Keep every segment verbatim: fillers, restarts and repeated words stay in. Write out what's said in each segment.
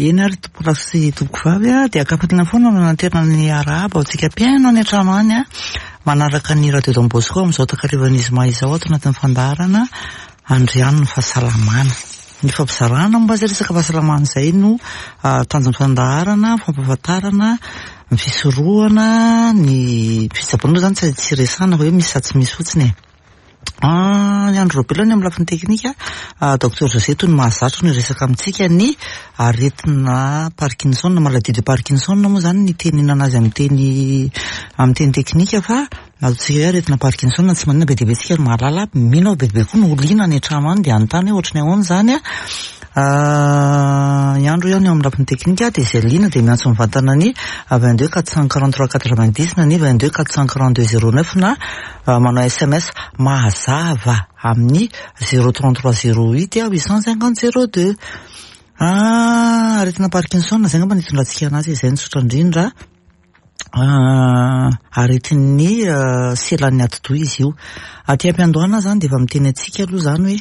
Eny ary tompokolahy sy tompokovavy a, dia ankafaliana foana no nanterina ny arahaba ho antsika mpihaino any an-trano any a, manaraka ny Radio Don Bosco amin'izao takarivan'ny zoma izao ato anatin'ny fandaharana Andriano ny fahasalamana. Ny fampizarana momba izay resaka fahasalamana izay no tanjon'ny fandaharana, fampahafantarana, ny fisorohana, ny fitsaboana moa izany tsy resahana fa hoe misy sa tsy misy fotsiny e. Ny Andry Raobelina ny amin'ny lafiny teknika, Docteur José toy ny mahazatra no hiresaka amintsika ny aretina Parkinson, maladie de Parkinson moa izany ny itenenana azy amin'ny teny amin'ny teny teknika fa ataontsika hoe aretina Parkinson tsy maninona, be dia be tsika no mahalala, mino aho be dia be koa no liana any an-trano any dia hanontany hoe ohatry ny ahoana izany a. I Andro ihany eo amin'ny lafiny teknika dia izay liana dia miantso mivantana ny vingt deux quatre cent quarante trois quatre vingt dix na ny vingt deux quatre cent quarante deux zéro neuf na manao S M S mazava amin'ny zéro trente trois zéro huit huit cent cinquante zéro deux. Ah, aretina Parkinson izay angamba no hitondrantsika anazy, izay no tsotra indrindra. Aretin'ny selan'ny atidoha izy io. Aty am-piandohana izany dia efa miteny antsika aloha izany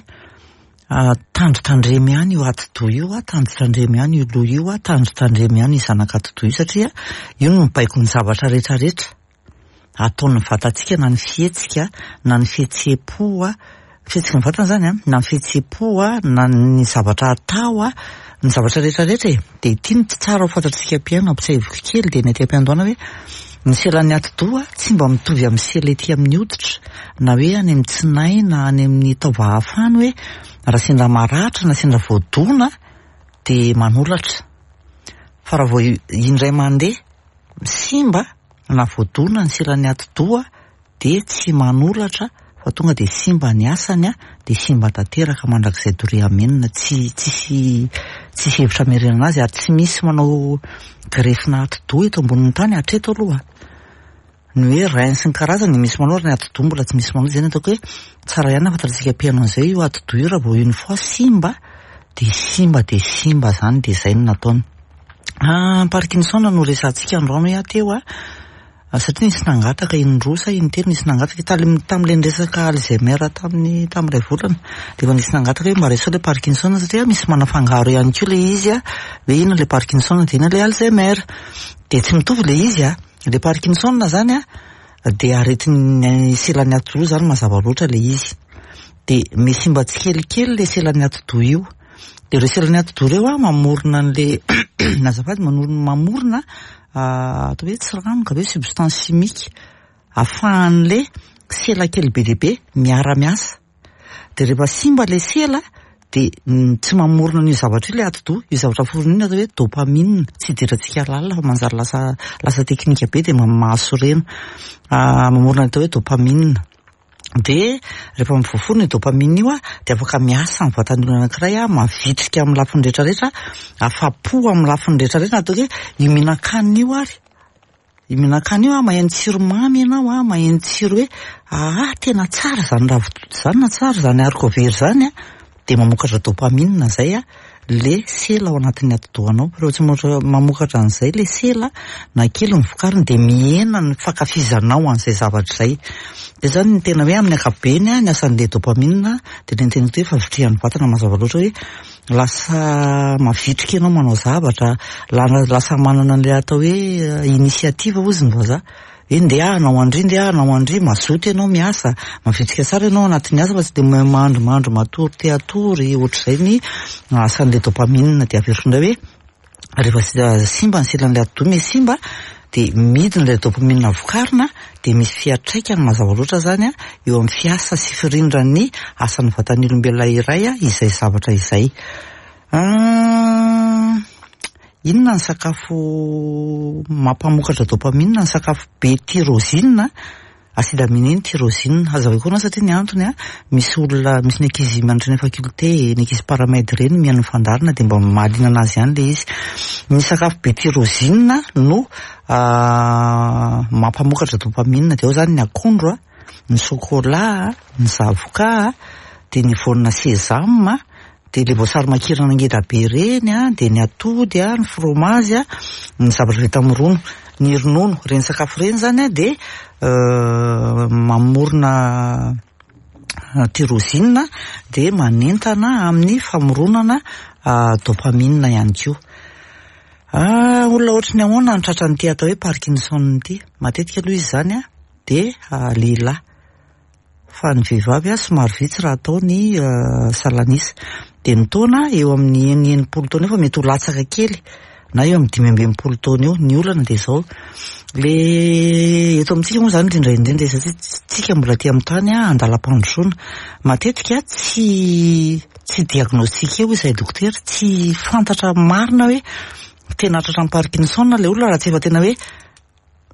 hoe tandrotandremo ihany io atidoha io, tandrotandremo ihany io loha io, tandrotandremo ihany io zanak'atidoha io satria io no mibaiko ny zavatra rehetrarehetra ataon'ny vatantsika, na ny fihetsika, na ny fihetseham-po, fihetsiky ny vatana izany a, na ny fihetseham-po, na ny zavatra atao, ny zavatra rehetrarehetra e. Dia ity no tsara ho fantatsika mpihaino, ampitsiahiviko kely dia ny aty am-piandohana hoe ny selan'ny atidoha tsy mba mitovy amin'ny sela ety amin'ny hoditra, na hoe any amin'ny tsinay, na any amin'ny taova hafa any hoe raha sendra maratra na sendra voadona dia manolatra. Fa raha vao indray mandeha simba na voadona ny selan'ny atidoha dia tsy manolatra fa tonga dia simba ny asany a, dia simba tanteraka mandrakizay doria amenina, tsy tsisy tsisy hevitra hamerenana azy ary tsy misy manao grefina atidoha eto ambonin'ny tany hatreto aloha. Ny hoe rein sy ny karazany misy manao, ary ny atidoha mbola tsy misy manao. Izay no ataoko hoe tsara ihany ahafantarantsika mpihaino an'izay io atidoha io raha vao une fois simba dia simba dia simba izany, dia izay no nataony. Ah, Parkinson no resahantsika androany hoe teo a, satria nisy nangataka indroa sa intelo nisy nangataka tamin'ilay niresaka Alzheimer tamin'ny tamin'ilay volana dia efa nisy nangataka hoe mba resaho ilay Parkinson satria misy manafangaro ihany koa ilay izy a, hoe inona ilay Parkinson dia inona ilay Alzheimer, dia tsy mitovy ilay izy a. Ilay Parkinson izany a dia aretin'ny selan'ny atidoha izany mazava loatra ilay izy, dia misimba tsikelikely ilay selan'ny atidoha io, dia ireo selan'ny atidoha ireo a mamorona an'ilay azafady manorona mamorona atao hoe tsiranoka ve substance chimique ahafahan'ilay sela kely be dia be miara-miasa, dia rehefa simba ilay sela dia tsy mamorona an'io zavatra io ilay atidoha, io zavatra foronina io atao hoe dopamine, tsy idirantsika lalina fa manjary lasa lasa teknika be dia mahasorena, mamorona atao hoe dopamine. Dia rehefa mivoaforona io dopamine io a dia afaka miasa amin'ny vatan'ny olona anankiray a, mavitrika amin'ny lafiny rehetrarehetra, afa-po amin'ny lafiny rehetrarehetra, ataoko hoe io mihinan-kanina io ary io mihinan-kanina io a, maheno tsiro mamy ianao a, maheno tsiro hoe ah tena tsara izany ravitoto izany na tsara izany haricot vert izany a, dia mamokatra dopamine izay a le sela ao anatin'ny atidohanao. Rehefa tsy mamokatra, mamokatra an'izay le sela na kely ny vokariny dia mihena ny fankafizanao an'izay zavatra izay. Dia izany ny tena hoe amin'ny ankapobeny a, ny asan'ilay dopamine dia le niteneniko hoe fahavitrihan'ny vatana mazava loatra hoe lasa mavitrika ianao manao zavatra, lasa manana an'ilay atao hoe initiative hozy ny vazaha, hoe ndeha hanao andry, ndeha hanao andry, mazoto ianao miasa, mavitrika tsara ianao anatin'ny asa fa tsy dia mandrimandry matory te hatory, ohatr'izay ny asan'ilay dopamine. Dia averiko indray hoe rehefa simba ny selan'ilay atidoha misy simba dia midina ilay dopamine vokarina, dia misy fiantraikany mazava loatra izany a eo amin'ny fiasa sy firindran'ny asan'ny vatan'ny olombelona iray a izay zavatra izay. Inona ny sakafo mampamokatra dopamine? Ny sakafo be tyrosine, acide aminé ny tyrosine. Hazavaiko koa anao satria ny antony a, misy olona, misy ny ankizy mianatra ny faculté, ny ankizy paramède ireny mihaino ny fandaharana dia mba mahaliana anazy ihany ilay izy. Ny sakafo be tyrosine no mampamokatra dopamine, dia ao izany ny akondro a, ny chocolat, ny zavoka, dia ny voanina sésame, dia ilay voasary makirana ngeda be ireny a, dia ny atody a, ny fromage a, ny zavatra vita amin'ny ronono, ny ronono, ireny sakafo ireny izany a dia mamorona tyrosine dia manentana amin'ny famoronana dopamine ihany koa. Ah, olona ohatry ny ahoana no tratran'ity atao hoe Parkinson ity? Matetika aloha izy izany a dia lehilahy, fa ny vehivavy a somary vitsy raha atao ny salanisa. Dia ny taona eo amin'ny eny enimpolo taona eo fa mety ho latsaka kely na eo amin'ny dimy amby enimpolo taona eo. Ny olana dia izao, le eto amintsika moa izany indrindra indrindra satria tsika mbola aty amin'ny tany a andalam-pandrosoana, matetika tsy tsy diagnostiqué hoy izahay dokotera, tsy fantatra marina hoe tena tratran'ny Parkinson ilay olona raha tsy efa tena hoe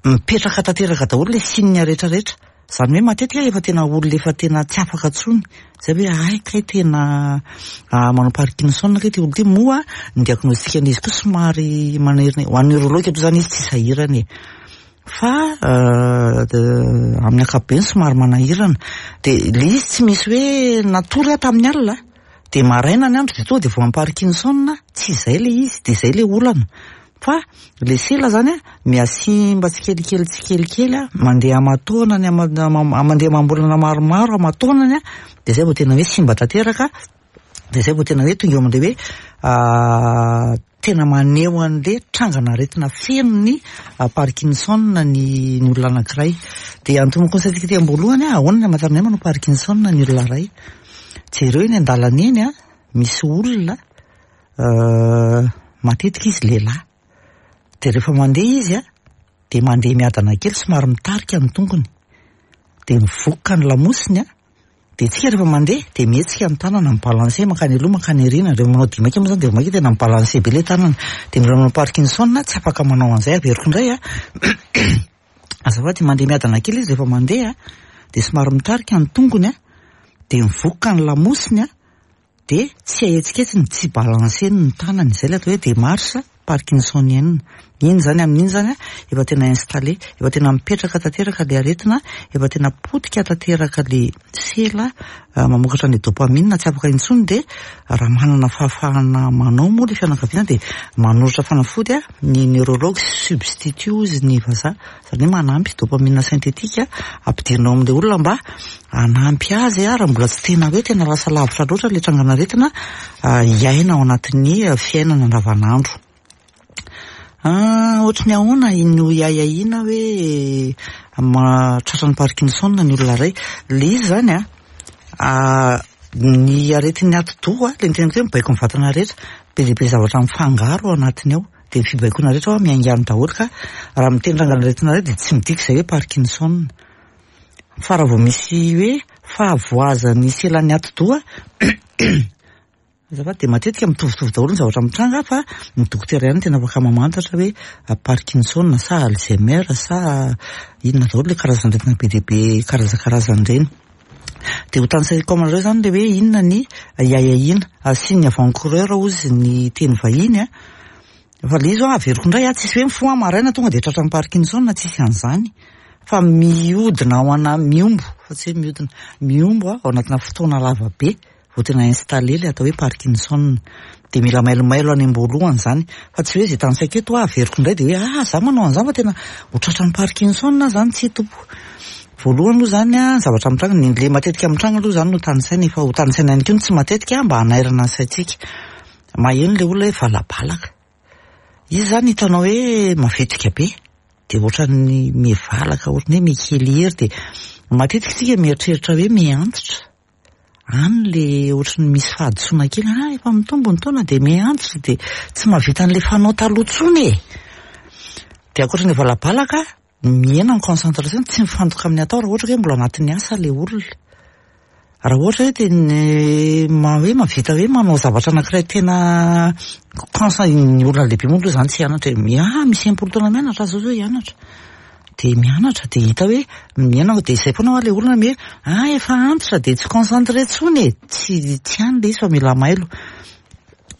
mipetraka tanteraka daholo ilay signe rehetrarehetra. Izany hoe matetika efa tena olona efa tena tsy afaka intsony. Izay hoe ay kay tena manao Parkinson kay ity olona ity. Moa ny diagnostic an'izy koa somary manerina, ho an'ny neurologue aloha izany izy tsy sahirana e. Fa amin'ny ankapobeny somary manahirana. Dia ilay izy tsy misy hoe natory aho tamin'ny alina, dia maraina ny andro dia tonga dia voan'ny Parkinson, tsy izay ilay izy, dia izay ilay olana. Fa ilay sela zany a mihasimba tsikelikely tsikelikely a, mandeha aman-taonany, mandeha amam-bolana maromaro aman-taonany a, dia izay vao tena hoe simba tanteraka, dia izay vao tena hoe tonga eo amin'ilay hoe tena maneho an'ilay trangan'aretina feno ny Parkinson ny ny olona anankiray. Dia antomoko ny saintsika tety am-boalohany a, ahoana ny amantarana hoe manao Parkinson ny olona iray? Jereo eny an-dalana eny a, misy olona matetika izy lehilahy, dia rehefa mandeha izy a, dia mandeha miadana kely somary mitarika ny tongony, dia mivokoka ny lamosiny a, dia tsika rehefa mandeha dia mihetsika ny tanana, mibalancer mankany aloha mankany aoriana. Rehefa manao dia maika moa zany dia vao maika tena mibalancer be ilay tanana. Dia ny olona manao Parkinson tsy afaka manao an'izay. Averiko indray a, azafady, mandeha miadana kely izy rehefa mandeha, dia somary mitarika ny tongony a, dia mivokoka ny lamosiny a, dia tsy ahetsiketsiny, tsy balanceny ny tanany. Izay ilay atao hoe démarche parkinsonienne. Iny zany amin'iny zany a efa tena installé, efa tena mipetraka tanteraka ilay aretina, efa tena potika tanteraka ilay sela mamokatra ny dopamine, tsy afaka intsony. Dia raha manana fahafahana manao moa ilay fianakaviana dia manolotra fanafody a ny neurologue, substitut hozy ny vazaha, izany hoe manampy dopamine synthétique ampidirina ao amin'ilay olona mba hanampy azy a, raha mbola tsy tena hoe tena lasa lavitra loatra ilay trangan'aretina, hiaina ao anatin'ny fiainana andavanandro. Ohatry ny ahoana no hiahiahiana hoe tratran'ny Parkinson ny olona iray? Ilay izy zany a, ny aretin'ny atidoha, ilay niteneniko hoe mibaiko ny vatana rehetra, be dia be zavatra mifangaro ao anatiny ao, dia ny fibaikoana rehetra ao miainga any daholo, ka raha miteny trangan'aretina iray dia tsy midika izay hoe Parkinson. Fa raha vao misy hoe fahavoazan'ny selan'ny atidoha, azafady, dia matetika mitovitovy daholo ny zavatra mitranga, fa ny dokotera ihany tena afaka mamantatra hoe Parkinson sa Alzheimer sa inona daholo ilay karazan'aretina be dia be karazakarazany ireny. Dia ho tanisaiko aminareo zany ilay hoe inona ny hiahiahiana, signe avant-coureur hozy ny teny vahiny a. Fa ilay izy hoa averiko indray a, tsisy hoe mifoha maraina tonga dia tratran'ny Parkinson, tsisy an'izany. Fa mihodina ao ana, miombo, fa tsy hoe mihodina, miombo ao anatina fotoana lava be vao tena installé ilay atao hoe Parkinson. Dia mila mailomailo any am-boalohany zany, fa tsy hoe izay tanisaiko eto averiko indray dia hoe ah za manao an'izany fa tena ho tratran'ny Parkinson zany, tsy tompo. Voalohany aloha zany a, ny zavatra mitranga, ny le matetika mitranga aloha zany no tanisaina, efa ho tanisaina ihany koa ny tsy matetika mba hanairana ny saintsika. Maheno ilay olona hoe valabalaka. Izy zany hitanao hoe mavetrika be, dia ohatran'ny mivalaka, ohatran'ny hoe mikely hery, dia matetika isika mieritreritra hoe miantitra. Any le ohatran'ny misy fahadisoana kely, ah efa mitombo ny taona dia miantitra, dia tsy mahavita an'ilay fanao taloha intsony e. Dia ankoatra ny valabalaka, mihena ny concentration, tsy mifantoka amin'ny atao raha ohatra hoe mbola anatin'ny asa ilay olona. Raha ohatra hoe tena ma hoe mahavita hoe manao zavatra anankiray tena concent, ny olona lehibe moa aloha zany tsy hianatra e, ah misy enimpolo taona mianatra zao zao hianatra. Dia mianatra dia hita hoe mihena, dia izay foana hoa ilay olona hoe ah efa antitra dia tsy concentré intsony e, tsy tsy any ilay izy fa mila mailo.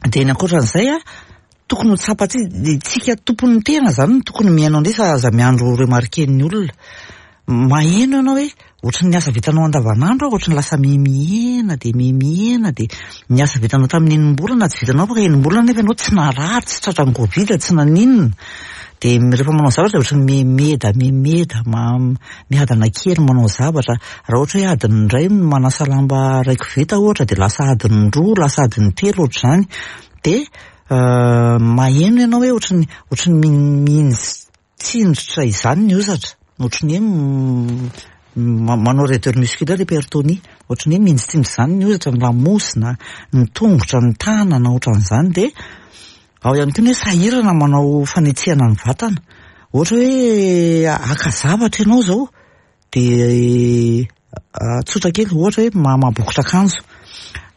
Dia ny ankoatran'izay a, tokony ho tsapantsika, tsika tompon'ny tena zany no tokony mihaino an'ilay izy fa aza miandro remarquer-n'ny olona. Maheno ianao hoe ohatran'ny asa vitanao andavanandro, ohatran'ny lasa mihemihena dia mihemihena, dia ny asa vitanao tamin'ny enim-bolana tsy vitanao afaka enim-bolana nefa ianao tsy narary, tsy tratran'ny Covid, tsy naninona. Dia rehefa manao zavatra dia ohatran'ny mihemiheda, mihemiheda, miadana kely manao zavatra. Raha ohatra hoe adiny iray no manasa lamba iray koveta ohatra dia lasa adiny roa, lasa adiny telo ohatr'izany. Dia Maheno ianao hoe ohatry ny ohatry ny mihinjitsindritra izany ny hozatra, ohatry ny hoe manao raideur musculaire, hypertonie, ohatry ny hoe mihinjitsindritra izany ny hozatra, ny lamosina, ny tongotra, ny tanana, ohatran'izany. Dia ao ihany koa ny hoe sahirana manao fanetsehana ny vatana. Ohatra hoe haka zavatra ianao izao, dia tsotra kely, ohatra hoe mamaha bokotra akanjo.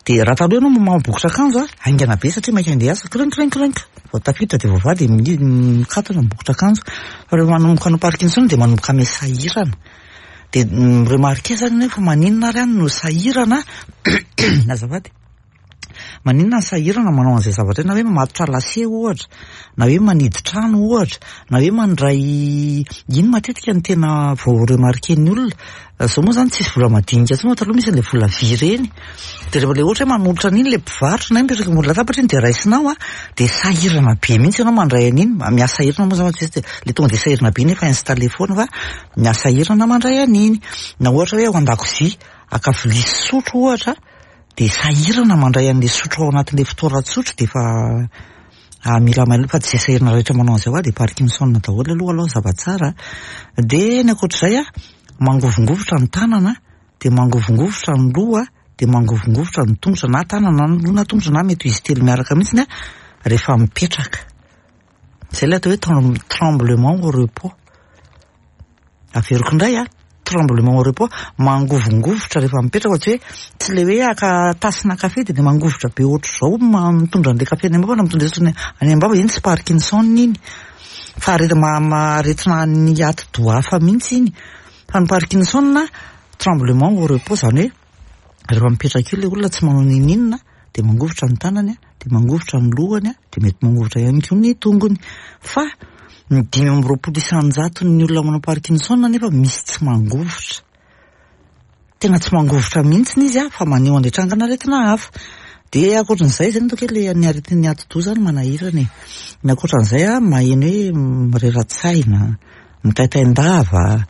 Dia raha taloha ianao mamaha bokotra akanjo a, haingana be satria maika handeha hiasa, krink krink krink, vao tafiditra dia voavaha dia mikatona ny bokotra akanjo. Fa rehefa manomboka hanao Parkinson dia manomboka miha-sahirana. Dia mi-remarquer zany ianao hoe fa maninona ary aho no sahirana, azafady, maninona no sahirana manao an'izay zavatra io, na hoe mamatotra lacet ohatra, na hoe manidy trano ohatra, na hoe mandray iny matetika no tena vao remarquer-n'ny olona. Zao moa zany tsisy vola madinika intsony fa taloha misy an'ilay vola vy ireny. Dia rehefa ilay ohatra hoe manolotra an'iny ilay mpivarotra na hoe mipetraka ambony latabatra iny dia raisinao a, dia sahirana be mihitsy ianao mandray an'iny. Miha-sahirana moa zany fa ilay tonga dia sahirana be nefa installé foana fa miha-sahirana mandray an'iny. Na ohatra hoe ao an-dakozia haka vilia sy sotro ohatra, dia sahirana mandray an'ilay sotro ao anatin'ilay fitoeran-tsotro dia efa mila mailo, fa tsy izay sahirana rehetra manao an'izay hoa dia Parkinson daholo aloha aloha zava-tsara. Dia ny ankoatr'izay a, mangovongovitra ny tanana, dia mangovongovitra ny loha, dia mangovongovitra ny tongotra, na tanana na loha na tongotra, na mety ho izy telo miaraka mihitsiny a, rehefa mipetraka. Izay ilay atao hoe tremblement au repos. Averiko indray a, tremblement au repos, mangovongovitra rehefa mipetraka, fa tsy hoe tsy ilay hoe haka tasina kafe dia mangovitra be ohatr'izao mitondra an'ilay kafe any am-bava na mitondra any am-bava, iny tsy Parkinson iny. Fa aretina aretina ny atidoha hafa mihitsy iny. Fa ny Parkinson tremblement au repos, zany hoe rehefa mipetraka eo ilay olona tsy manao n'inon'inona dia mangovitra ny tanany, dia mangovitra ny lohany, dia mety mangovitra ihany koa ny tongony. Fa ny dimy amby roapolo isan-jaton'ny olona manao Parkinson nefa misy tsy mangovitra. Tena tsy mangovitra mihitsy izy a, fa maneho an'ilay trangan'aretina hafa. Dia ankoatran'izay zay no ataoko hoe ilay ny aretin'ny atidoha zany manahirana e. Ny ankoatran'izay a, maheno hoe mirera-tsaina, mitaintain-dava,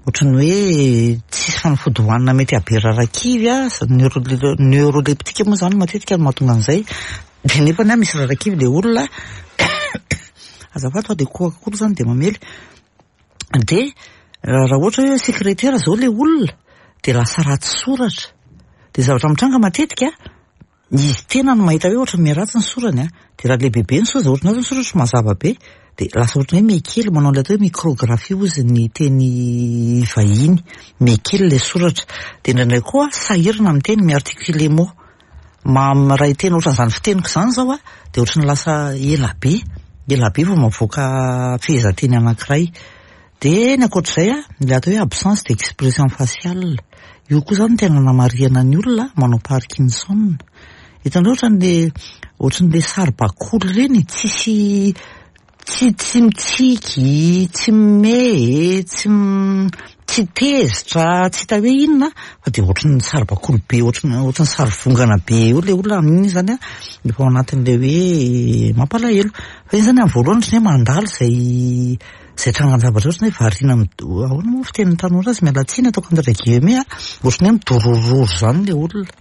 ohatran'ny hoe tsisy fanafody hohanina mety hahabe rarakivy a, neuroleptique moa zany matetika no mahatonga an'izay. Dia nefa ny misy rarakivy ilay olona, azafady fa dia kohaka koa zany dia mamely. Dia raha ohatra hoe secrétaire zao ilay olona, dia lasa ratsy soratra. Dia zavatra mitranga matetika, izy tena no mahita hoe ohatra miharatsy ny sorany a, dia raha lehibebe ny soratra, ohatra ny soratra mazava be, dia lasa ohatran'ny hoe mihakely, manao an'ilay atao hoe micrographie hozy ny teny vahiny, mihakely ilay soratra. Dia indraindray koa sahirana miteny, mi-articuler mot. Miray teny ohatran'izany fiteniko izany zao a, dia ohatran'ny lasa ela be, ela be vao mavoaka fehezanteny anankiray. Dia ny ankoatr'izay a, ilay atao hoe absence d'expression faciale. Io koa zany tena namarihana ny olona manao Parkinson. Hitanao ohatran'le ohatran'le saribakoly ireny, tsisy tsy tsy mitsiky, tsy mimehy, tsy tsy tezitra, tsy hita hoe inona, fa dia ohatran'ny saribakoly be, ohatran'ny ohatran'ny sary vongana be eo ilay olona amin'iny zany a, efa ao anatin'ilay hoe mampalahelo. Fa iny zany amin'ny voalohany ohatran'ny hoe mandalo izay izay trangan-javatra ohatran'ny hoe variana ahoana moa fitenin'ny tanora azy, miala tsiny ataoko entre guillemets a, ohatran'ny hoe midorororo zany ilay olona.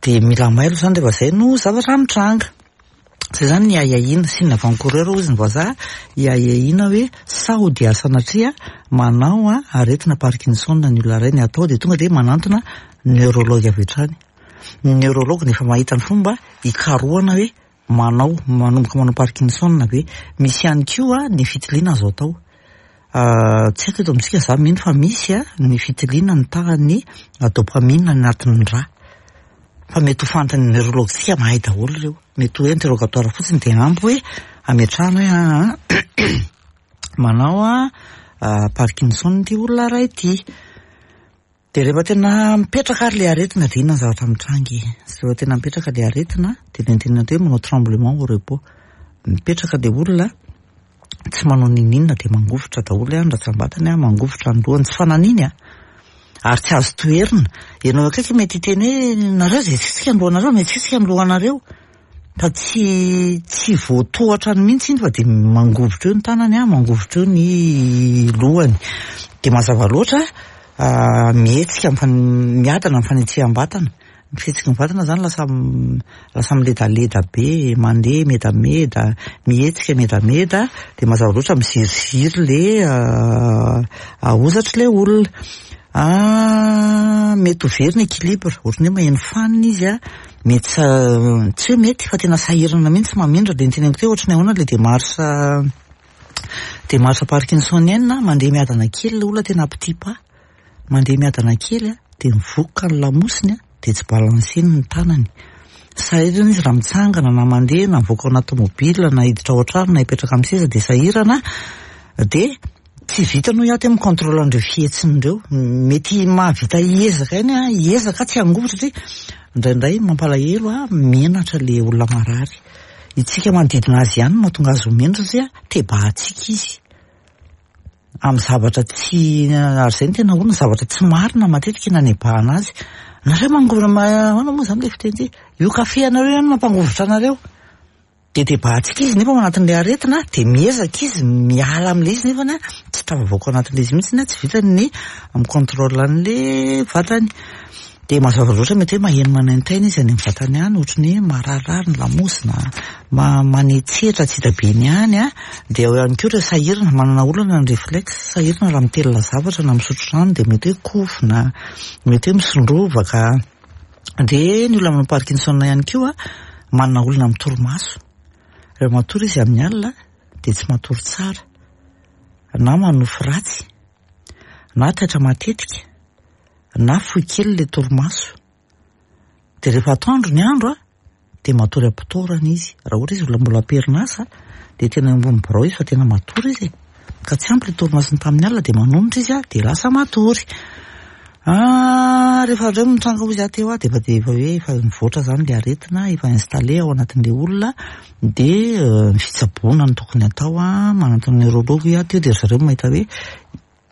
Dia mila mailo zany rehefa izay no zavatra mitranga. Zay zany ny ahiahiana, signe avant-coureur hozy ny vazaha, iahiahiana hoe sao dia sanatria manao a aretina Parkinson ny olona iray, ny atao dia tonga dia manantona neurologue avy hatrany. Ny neurologue nefa mahita ny fomba hikarohana hoe manao manomboka manao Parkinson ve. Misy ihany koa ny fitiliana azo atao. Tsy haiko eto amintsika, za mino fa misy a ny fitiliana ny tahan'ny dopamine anatin'ny rà. Fa mety ho fantan'ny neurologue-tsika mahay daholo ireo. Mety hoe interrogatoire fotsiny dia ampy hoe ametrahana hoe aa manao a Parkinson ity olona iray ity. Dia rehefa tena mipetraka ary ilay aretina dia inona ny zavatra mitranga e? Rehefa tena mipetraka ilay aretina dia ilay nitenenana teo hoe manao tremblement au repos. Mipetraka ilay olona tsy manao n'inon'inona dia mangovitra daholo ny ratsambatany, mangovitra ny lohany, tsy fananiny a. Ary tsy azo toherina. Ianao akaiky mety hiteny hoe nareo izay hetsitsika ny lohanareo, mety hetsitsika ny lohanareo. Fa tsy tsy voatohatra mihitsy iny fa dia mangovitra eo ny tanany a, mangovitra eo ny lohany. Dia mazava loatra mihetsika miadana ny fanetseham-batana. Ny fihetsiky ny vatana zany lasa lasa miledaleda be, mandeha medameda, mihetsika medameda, dia mazava loatra miziriziry le hozatry le olona. Mety ho very ny équilibre, ohatran'ny hoe maheno fanina izy an, mety tsy hoe mety fa tena sahirana mihitsy mamindra, le noteneniko teo ohatran'ny ahoana le démarche démarche parkinsonienne, mandeha miadana kely le olona tena petit pas, mandeha miadana kely an, dia mivokoka ny lamosiny an, dia tsy balanceny ny tanany. Sahirana izy raha mitsangana na mandeha na mivoaka ao anaty tomobile na hiditra ao an-trano na hipetraka amin'ny seza dia sahirana, dia tsy vitany hoy aho teo mi-contrôle an'ireo fihetsiny ireo. Mety mahavita hiezaka ihany an, hiezaka tsy hangovitra satria indraindray mampalahelo an, menatra le olona marary. Itsika manodidina azy ihany no mahatonga azy ho menatra satria tebahantsika izy. Amin'ny zavatra tsy, ary izay no tena olana, zavatra tsy marina matetika no anebahana azy. Nareo mangovitra, ahoana moa zany le fiteny ty? Io kafe anareo ihany no mampangovitra anareo. Dia tebahantsika izy nefa ao anatin'ilay aretina, dia miezaka izy miala amin'ilay izy nefany an, tsy tafavoaka ao anatin'ilay izy mihitsy, tsy vitany ny mi-contrôle an'ilay vatany. Dia mazava loatra mety hoe maheno manaintaina izy any amin'ny vatany any, ohatran'ny hoe mararirary ny lamosina, manetsetra tsy hita be ny any an, dia ao ihany koa ireo sahirana, manana olana ny réflexe, sahirana raha mitelina zavatra na misotro rano dia mety hoe kofona, mety hoe misondrovaka. Dia ny olona manao Parkinson ihany koa manana olana amin'ny torimaso. Rehefa matory izy amin'ny alina dia tsy matory tsara, na manofy ratsy, na taitra matetika, na fohy kely le torimaso. Dia rehefa atoandro ny andro an, dia matory am-potorana izy. Raha ohatra izy olona mbola am-perinasa dia tena eo ambony birao izy fa tena matory izy e. Ka tsy ampy le torimasony tamin'ny alina dia manonitra izy an, dia lasa matory. Rehefa indray mitranga hoy izy teo an, dia efa dia efa hoe efa mivoatra zany le aretina, efa installé ao anatin'le olona, dia ny fitsaboana no tokony atao an, manantona neurologue hoy aho teo, dia ry zareo mahita hoe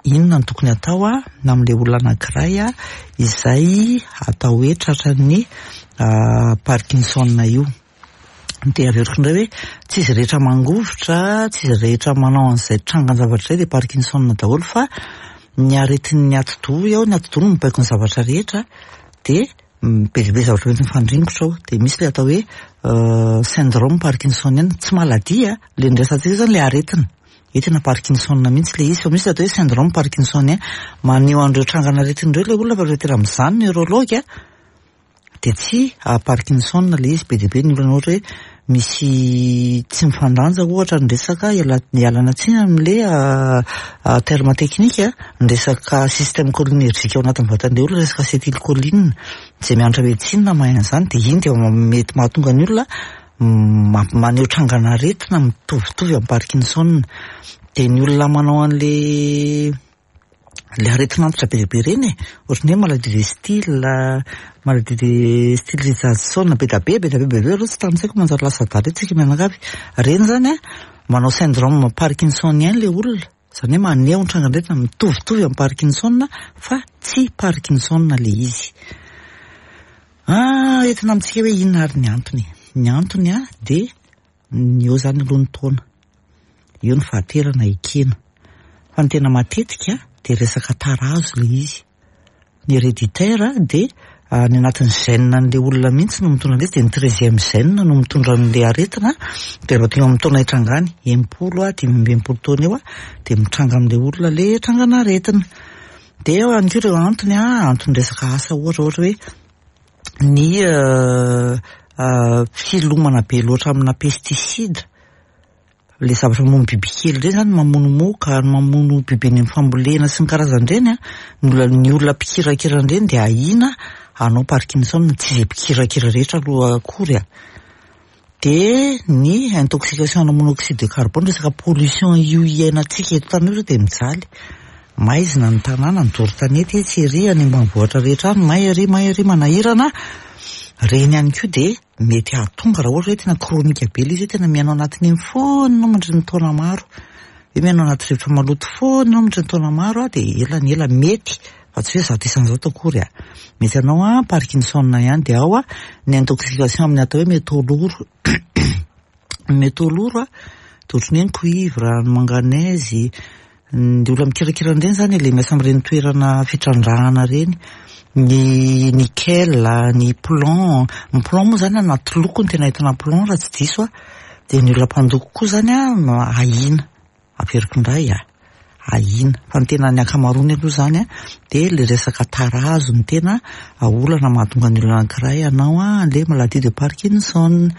inona no tokony atao an, amin'le olona anankiray an, izay atao hoe tratran'ny Parkinson io. Dia averiko indray hoe tsy izy rehetra mangovitra, tsy izy rehetra manao an'izay trangan-javatra izay dia Parkinson daholo, fa ny aretin'ny atidoha eo, ny atidoha no mibaiko ny zavatra rehetra, dia be dia be zavatra mety mifandringotra ao. Dia misy le atao hoe syndrome parkinsonien, tsy maladie, le noresahantsika zany le aretina. Io tena Parkinson mihitsy le izy, fa misy le atao hoe syndrome parkinsonien, maneho an'ireo trangan'aretina ireo le olona fa rehefa tena mizaha ny neurologue dia tsy Parkinson le izy. Be dia be ny olona ohatra hoe misy tsy mifandanja ohatra ny resaka, ialana tsiny amin'le terme technique, ny resaka système cholinergique ao anatin'ny vatan'le olona, resaka acétylcholine, izay mianatra médecine mahay an'izany, dia iny dia mety mahatonga ny olona maneho trangan'aretina mitovitovy amin'ny Parkinson. Dia ny olona manao an'le le aretina antitra be dia be ireny e, ohatran'ny hoe maladie de Still, maladie de Still Richardson, be dia be, be dia be, be dia be aloha tsy tanisaiko manjary lasa adala eto tsika mianakavy. Ireny zany an, manao syndrome parkinsonien le olona, izany hoe maneho ny trangan'aretina mitovitovy amin'ny Parkinson fa tsy Parkinson le izy. Ah, entina amintsika hoe inona ary ny antony? Ny antony an dia ny eo zany aloha ny taona, eo ny fahaterana ekena. Fa ny tena matetika dia resaka tarazo le izy. Ny héréditaire dia any anatin'ny gène an'le olona mihitsy no mitondra an'ilay izy, dia ny treizième gène no mitondra an'le aretina, dia rehefa tonga amin'ny taona hitrangany, enimpolo a, dimy amby enimpolo taona eo a, dia mitranga amin'le olona le trangan'aretina. Dia eo ihany koa ireo antony a, antony resaka asa ohatra, ohatra hoe ny filomana be loatra amina pesticide, le zavatra mamono bibikely ireny zany, mamono moka, mamono biby eny amin'ny fambolena sy ny karazan'ireny a, ny olona ny olona mpikirakira an'ireny dia ahiana hanao Parkinson, tsy izay mpikirakira rehetra aloha akory a. Dia ny intoxication ana monoxyde de carbone, resaka pollution io iainantsika eto tany io zao dia mijaly. Maizina ny tanàna, ny doro tanety etsy ery, any ambanivohitra rehetra any, may ery, may ery, manahirana. Ireny ihany koa dia mety hahatonga raha ohatra hoe tena chronique be ilay izy, hoe tena miaina ao anatin'iny foana ianao mandritra ny taona maro. Hoe miaina ao anaty rivotra maloto foana ianao mandritra ny taona maro, dia ela ny ela mety, fa tsy hoe zato isan-jato akory a. Mety hanao a Parkinson ihany, dia ao a ny intoxication amin'ny atao hoe métaux lourds. Ny métaux lourds a, dia ohatran'ny hoe ny cuivre, ny manganèse, ny olona mikirakira an'ireny zany, le miasa amin'ireny toerana fitrandrahana ireny, ny nickel, ny plomb. Ny plomb moa zany anaty loko no tena ahitana plomb raha tsy diso a. Dia ny olona mpandoko koa zany a ahiana, averiko indray a, ahiana. Fa ny tena ny ankamaroany aloha zany a dia le resaka tarazo no tena olana mahatonga ny olona anankiray hanao a le maladie de Parkinson.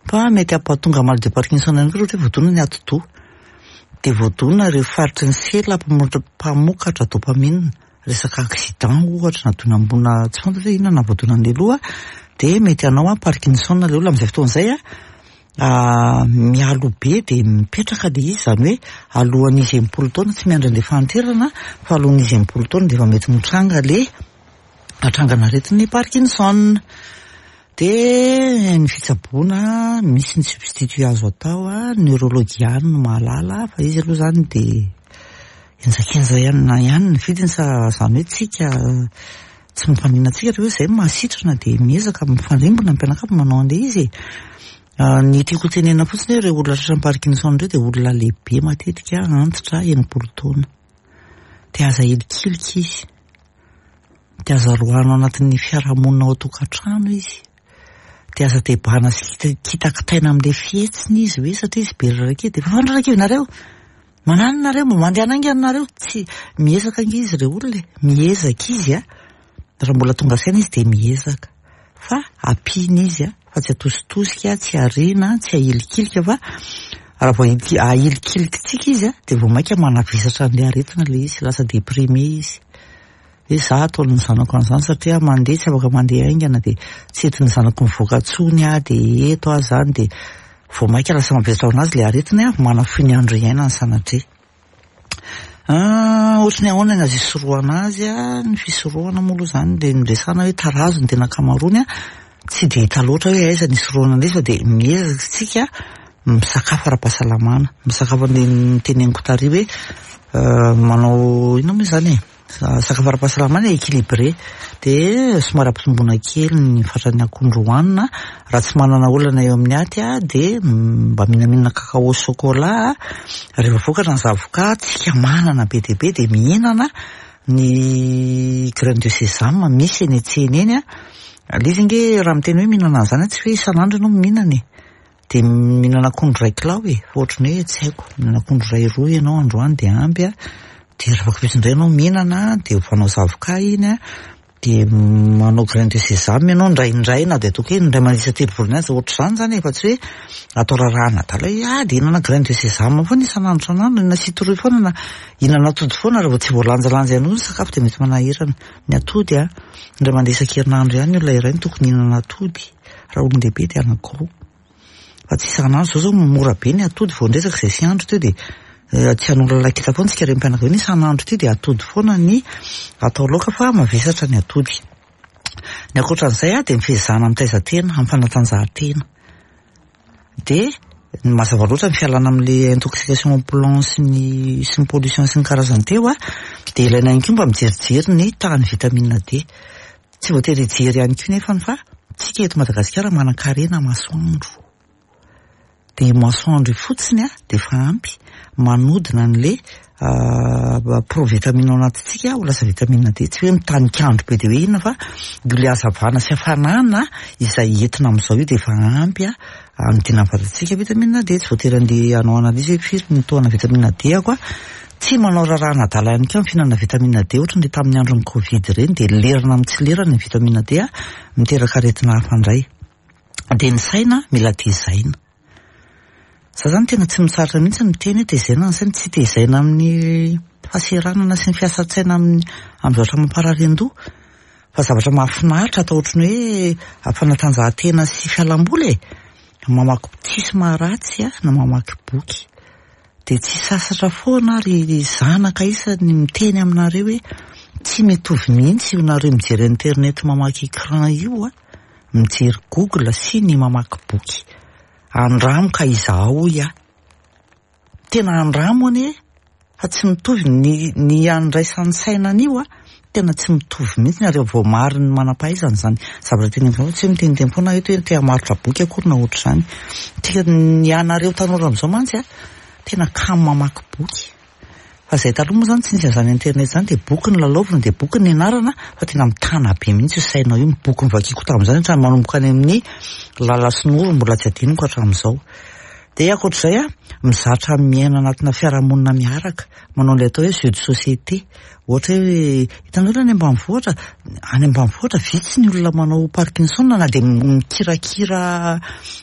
Fa mety hampahatonga maladie de Parkinson ihany koa raha ohatra hoe voadona ny atidoha. Dia voadona ireo faritry ny sela mpamokatra dopamine. Resaka accident ohatra na dona ambonina tsy fantatra hoe inona na voadona an'ilay loha dia mety hanao a Parkinson ilay olona amin'izay fotoana izay a mialoha be dia mipetraka ilay izy, izany hoe alohan'izy enimpolo taona, tsy miandry an'ilay fahanterana fa alohan'izy enimpolo taona dia efa mety mitranga le atrangan'aretin'ny Parkinson. Dia ny fitsaboana, misy ny substitut azo atao a, neurologue ihany no mahalala fa izy aloha zany dia henjakenja ihany ihany ny vidiny, sa izany hoe tsika tsy mampanina antsika rehefa hoe izay mahasitrana dia miezaka mifandrimbona ny mpianakavy manao an'ilay izy e. Ny tiako tenenina fotsiny hoe ireo olona tratran'ny Parkinson ireo dia olona lehibe matetika, antitra, enimpolo taona. Dia aza hilikilika izy. Dia aza roahana ao anatin'ny fiarahamonina ao an-tokantrano izy. Dia aza tebahana sy kitakitaina amin'ilay fihetsiny izy hoe satria izy be raraka dia efa fandraraka nareo. Mananona nareo, mba mandehana haingana nareo. Tsy miezaka ange izy ireo olona e. Miezaka izy a. Raha mbola tonga saina izy dia miezaka. Fa ampiana izy a, fa tsy atositosika, tsy ariana, tsy ahilikilika fa raha vao ahilikilikintsika izy a dia vao mainka manavesatra an'ilay aretina ilay izy, lasa déprimé izy. Hoe za ataon'ny zanako an'izany satria mandeha tsy afaka mandeha haingana dia tsy entin'ny zanako mivoaka intsony aho dia eto aho zany dia vao mainka lasa mavesatra ho anazy ilay aretina manafohy ny andro iainany sanatria. Ohatry ny ahoana ny azo isorohana azy a, ny fisorohana moa aloha zany dia noresahana hoe tarazo ny tena ankamaroany a, tsy dia hita loatra hoe aiza ny isorohana an'izy fa dia miezaka isika misakafo ara-pahasalamana, misakafo an'ilay noteneniko tary hoe manao inona moa izany e, sakafo ara-pahasalamana équilibré dia somary ampitomboina kely ny fatran'ny akondro hohanina, raha tsy manana olana eo amin'ny aty a dia mba mihinamihina kakao chocolat, rehefa vokatra ny zavoka tsika manana be dia be dia mihinana ny graine de sésame misy eny an-tsena eny a. Ilay izy ange raha miteny hoe mihinana an'izany tsy hoe isan'andro ianao mihinana e. Dia mihinana akondro iray kilao e, fa ohatran'ny hoe tsy haiko, mihinana akondro iray roa ianao androany dia ampy a. Dia rehefa afaka indray ianao mihinana dia ovanao zavoka iny a, dia manao graine de sésame ianao indraindray na dia ataoko hoe indray mandeha isan-telo volana aza ohatr'izany zany e, fa tsy hoe atao rarahana adala hoe ah dia hihinana graine de sésame foana isan'andro isan'andro, hihinana citrouille foana na hihinana atody foana raha vao tsy voalanjalanja ihany koa ny sakafo dia mety manahirana. Ny atody a, indray mandeha isan-kerinandro ihany ny olona iray no tokony hihinana atody, raha olon-dehibe dia anankiroa. Fa tsy isan'andro zao zao mora be ny atody, vao niresaka izay sy andro teo dia tsy hanolo lalakita foana tsika renim-pianakaviana isan'andro ity dia atody foana ny atao laoka fa mavesatra ny atody. Ny ankoatran'izay a dia ny fiezahana mitaiza tena amin'ny fanatanjahantena. Dia mazava loatra ny fialana amin'ilay intoxication au plomb sy ny sy ny pollution sy ny karazany teo a, dia ilaina ihany koa mba mijerijery ny tahan'ny vitamine D. Tsy voatery hijery ihany koa nefany fa tsika eto Madagasikara manan-karena masoandro. Dia masoandro io fotsiny a dia efa ampy manodina an'ilay provitamine ao anatintsika ho lasa vitamine D. Tsy hoe mitanik'andro be dia hoe inona fa io ilay hazavana sy hafanana izay entina amin'izao io dia efa ampy a hanodina ny vatantsika vitamine D. Tsy voatery andeha hanao analyse hoe firy ny taona vitamine D ako a. Tsy manao rarahana adala ihany koa amin'ny fihinanana vitamine D ohatra ny tamin'ny andron'ny Covid ireny dia lerana amin'ny tsy lerana ny vitamine D a miteraka aretina hafa indray. Dia ny saina mila tezaina. Za zany tena tsy mitsahatra mihitsy miteny hoe tezaina ny saina, tsy tezaina amin'ny fahaseranana sy ny fiasan-tsaina amin'ny amin'ny zavatra mamparary an-doha fa zavatra mahafinaritra atao ohatran'ny hoe fanatanjahantena sy fialamboly e. Mamaky tsisy maharatsy a na mamaky boky. Dia tsy sasatra foana ary zanaka isany miteny aminareo hoe tsy mitovy mihitsy io nareo mijery internet mamaky écran io a, mijery Google sy ny mamaky boky. Andramo ka izahao hoy aho. Tena andramo anie fa tsy mitovy ny ny andraisan'ny saina an'io a, tena tsy mitovy mihitsy ary voamarin'ny manam-pahaizana izany zavatra teneniko anao, tsy hoe miteniteny foana eto hoe te hamarotra boky akory na ohatr'izany. Tika ny anareo tanora amin'izao mantsy a, tena kamo mamaky boky. Fa izay taloha moa izany tsy nisy an'izany internet izany dia boky no lalaovina dia boky no nianarana fa tena mitana be mihitsy io sainao io. Ny boky novakiako tamin'izany hatramin'ny manomboka any amin'ny Lala sy Noro mbola tsy adinoko hatramin'izao. Dia ankoatr'izay a, mizatra miaina anatina fiarahamonina miaraka, manao ilay atao hoe jeu de société. Ohatra hoe hitanareo any ambanivohitra, any ambanivohitra vitsy ny olona manao Parkinson na dia mikirakira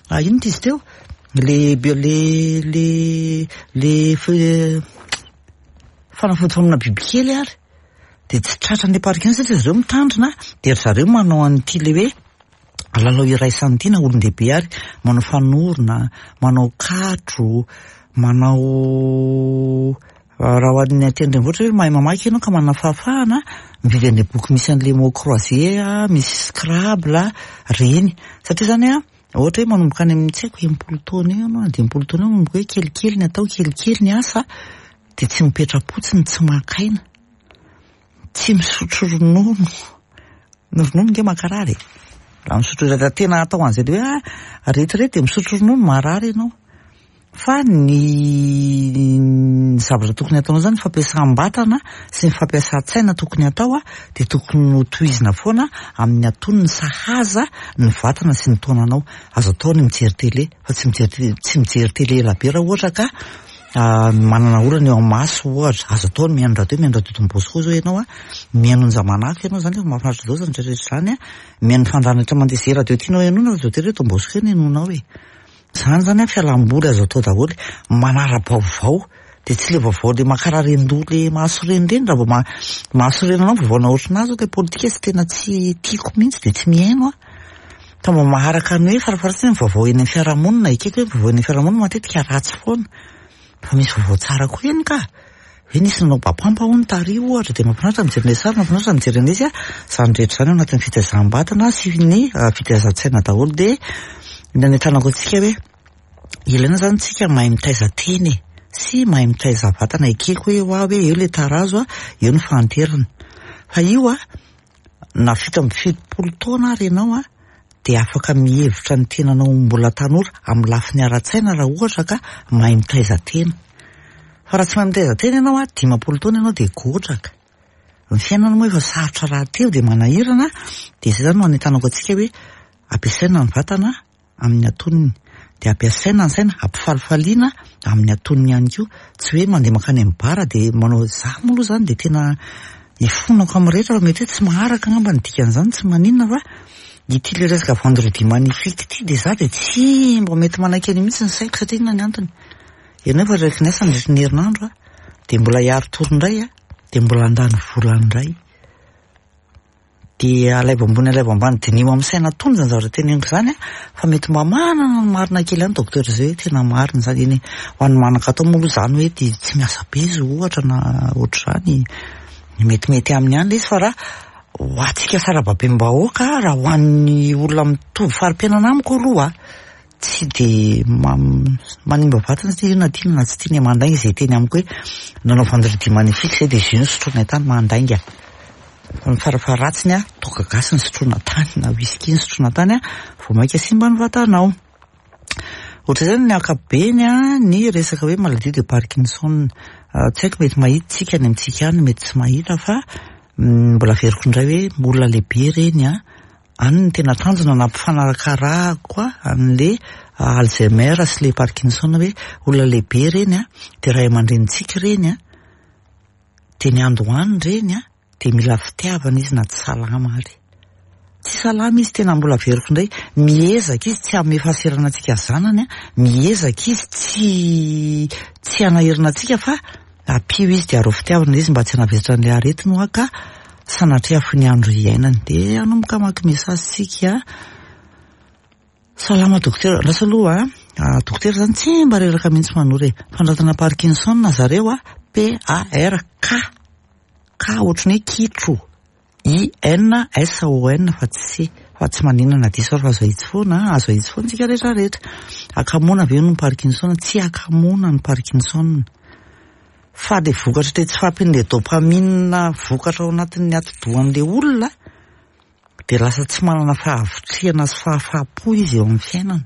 inona izy teo? Le le le le fanafody famonoana bibikely ary dia tsy tratran'ilay Parkinson satria zareo mitandrina dia ry zareo manao an'ity le hoe lalao iraisana ity na olon-dehibe ary manao fanorona, manao katro, manao raha ho an'ny aty an-drenivohitra hoe mahay mamaky ianao ka manana fahafahana mividy an'ilay boky misy an'ilay mots croisés, misy scrabble reny satria zany a ohatra hoe manomboka any amin'ny tsy haiko enimpolo taona eo ianao na dimampolo taona eo manomboka hoe kelikely ny atao kelikely ny asa dia tsy mipetra-potsiny tsy maka aina, tsy misotro ronono, ny ronono nge mankarary e, raha misotro raha tena atao an'izay le hoe ah retirety dia misotro ronono marary ianao. Fa ny ny zavatra tokony ataonao zany fampiasam-batana sy ny fampiasan-tsaina tokony atao a dia tokony ho tohizina foana amin'ny antonony sahaza ny vatana sy ny taonanao. Azo atao ny mijery télé fa tsy mijery tsy mijery télé ela be raha ohatra ka manana olana eo amin'ny maso ohatra. Azo atao ny mihaino radio, mihaino radio Don Bosco zao ianao a, mihaino Onja-Manako ianao zany efa mahafinaritra daholo zany rehetrarehetra zany a, mihaino fandaharana rehetra mandeha izay radio tianao henoina radio télé Don Bosco eo no henoinao e. Zany zany a fialamboly azo atao daholo, manara-baovao dia tsy le vaovao le mankarary an-doha le mahasorena ireny raha vao ma- mahasorena anao vaovao na ohatranahy zao le politika tsy tena tsy tiako mihitsy dia tsy mihaino aho. Fa mba maharaka ny hoe farafaharatsiny ny vaovao eny amin'ny fiarahamonina, ekeko hoe vaovao eny amin'ny fiarahamonina matetika ratsy foana. Fa misy vaovao tsara koa eny ka. Hoe nisy nanao bapampa hono tary ohatra dia mahafinaritra mijery an'ilay sary, mahafinaritra mijery an'izy a. Izany rehetra izany ao anatin'ny fitaizam-batana sy ny fitaizan-tsaina daholo dia ny anentanako antsika hoe ilaina zany tsika mahay mitaiza tena e sy mahay mitaiza vatana. Ekeko hoe hoa hoe eo le tarazo a, eo ny fahanterana. Fa io a, na fito amby fitopolo taona ary ianao a dia afaka mihevitra ny tenanao mbola tanora amin'ny lafiny ara-tsaina raha ohatra ka mahay mitaiza tena. Fa raha tsy mahay mitaiza tena ianao a, dimampolo taona ianao dia godraka. Ny fiainana moa efa sarotra rahateo dia manahirana dia izay zany no anentanako antsika hoe ampiasaina ny vatana amin'ny antonony dia ampiasaina ny saina ampifalifaliana amin'ny antonony ihany koa. Tsy hoe mandeha mankany amin'ny bara dia manao za moa aloha zany dia tena ifonako amin'ny rehetra fa mety hoe tsy maharaka angamba ny dikan'izany tsy maninona fa ity le resaka vendredi magnifique ity dia za dia tsy mba mety manaiky an'io mihitsy ny saiko satria inona ny antony. Ianao efa reraky ny asa nandritra ny herinandro a, dia mbola hiari-tory indray a, dia mbola handany vola indray. Dia alaivo ambony alaivo ambany diniho amin'ny saina tony zany zavatra teneniko izany a, fa mety mba manana ny marina kely ihany docteur zay hoe tena marina izany eny e. Ho an'ny manan-katao moa aloha izany hoe dia tsy miasa be izy ohatra na ohatr'izany metimety aminy ihany ilay izy fa raha ho antsika sarababem-bahoaka raha ho an'ny olona mitovy fari-piainana amiko aloha tsy dia manimba vatana satria io na tiana na tsy tiana mandainga izay teny amiko hoe nanao vendredi magnifique izay dia jus nosotroinay tany mandainga. Ny farafaharatsiny a, toaka gasy nosotroina tany na whisky nosotroina tany a, vao mainka simba ny vatanao. Ohatr'izay ny ankapobeny a, ny resaka hoe maladie de Parkinson. Tsy haiko mety mahita tsika any amintsika any, mety tsy mahita fa mbola averiko indray hoe olona lehibe ireny a, any ny tena tanjona nampifanarakarahako a an'le Alzheimer sy le Parkinson hoe olona lehibe ireny a, dia ray aman-drenintsika ireny a, dia ny andohany ireny a, dia mila fitiavana izy na tsy salama ary. Tsy salama izy tena mbola averiko indray, miezaka izy tsy hanome fahaserana antsika zanany a, miezaka izy tsy tsy hanahirana antsika fa ampio izy dia arao fitiavana izy mba tsy hanavesatra an'ilay aretina hoa ka sanatria ny andro iainany. Dia hanomboka hamaky message tsika. Salama dokotera, lasa aloha a, dokotera zany tsy mba reraka mihitsy manora e. Fanoratana Parkinson zareo a, P A R K K ohatran'ny hoe kitro, I N S O N fa tsy C, fa tsy maninona na diso ary fa azo ahitsy foana, azo ahitsy foana tsika rehetra rehetra. Hakamoana ve no Parkinson? Tsy hakamoana ny Parkinson. Fa le vokatra le tsy fahampian'le dopamine vokatra ao anatin'ny atidohan'le olona dia lasa tsy manana fahavitrihana sy fahafahampo izy eo amin'ny fiainana.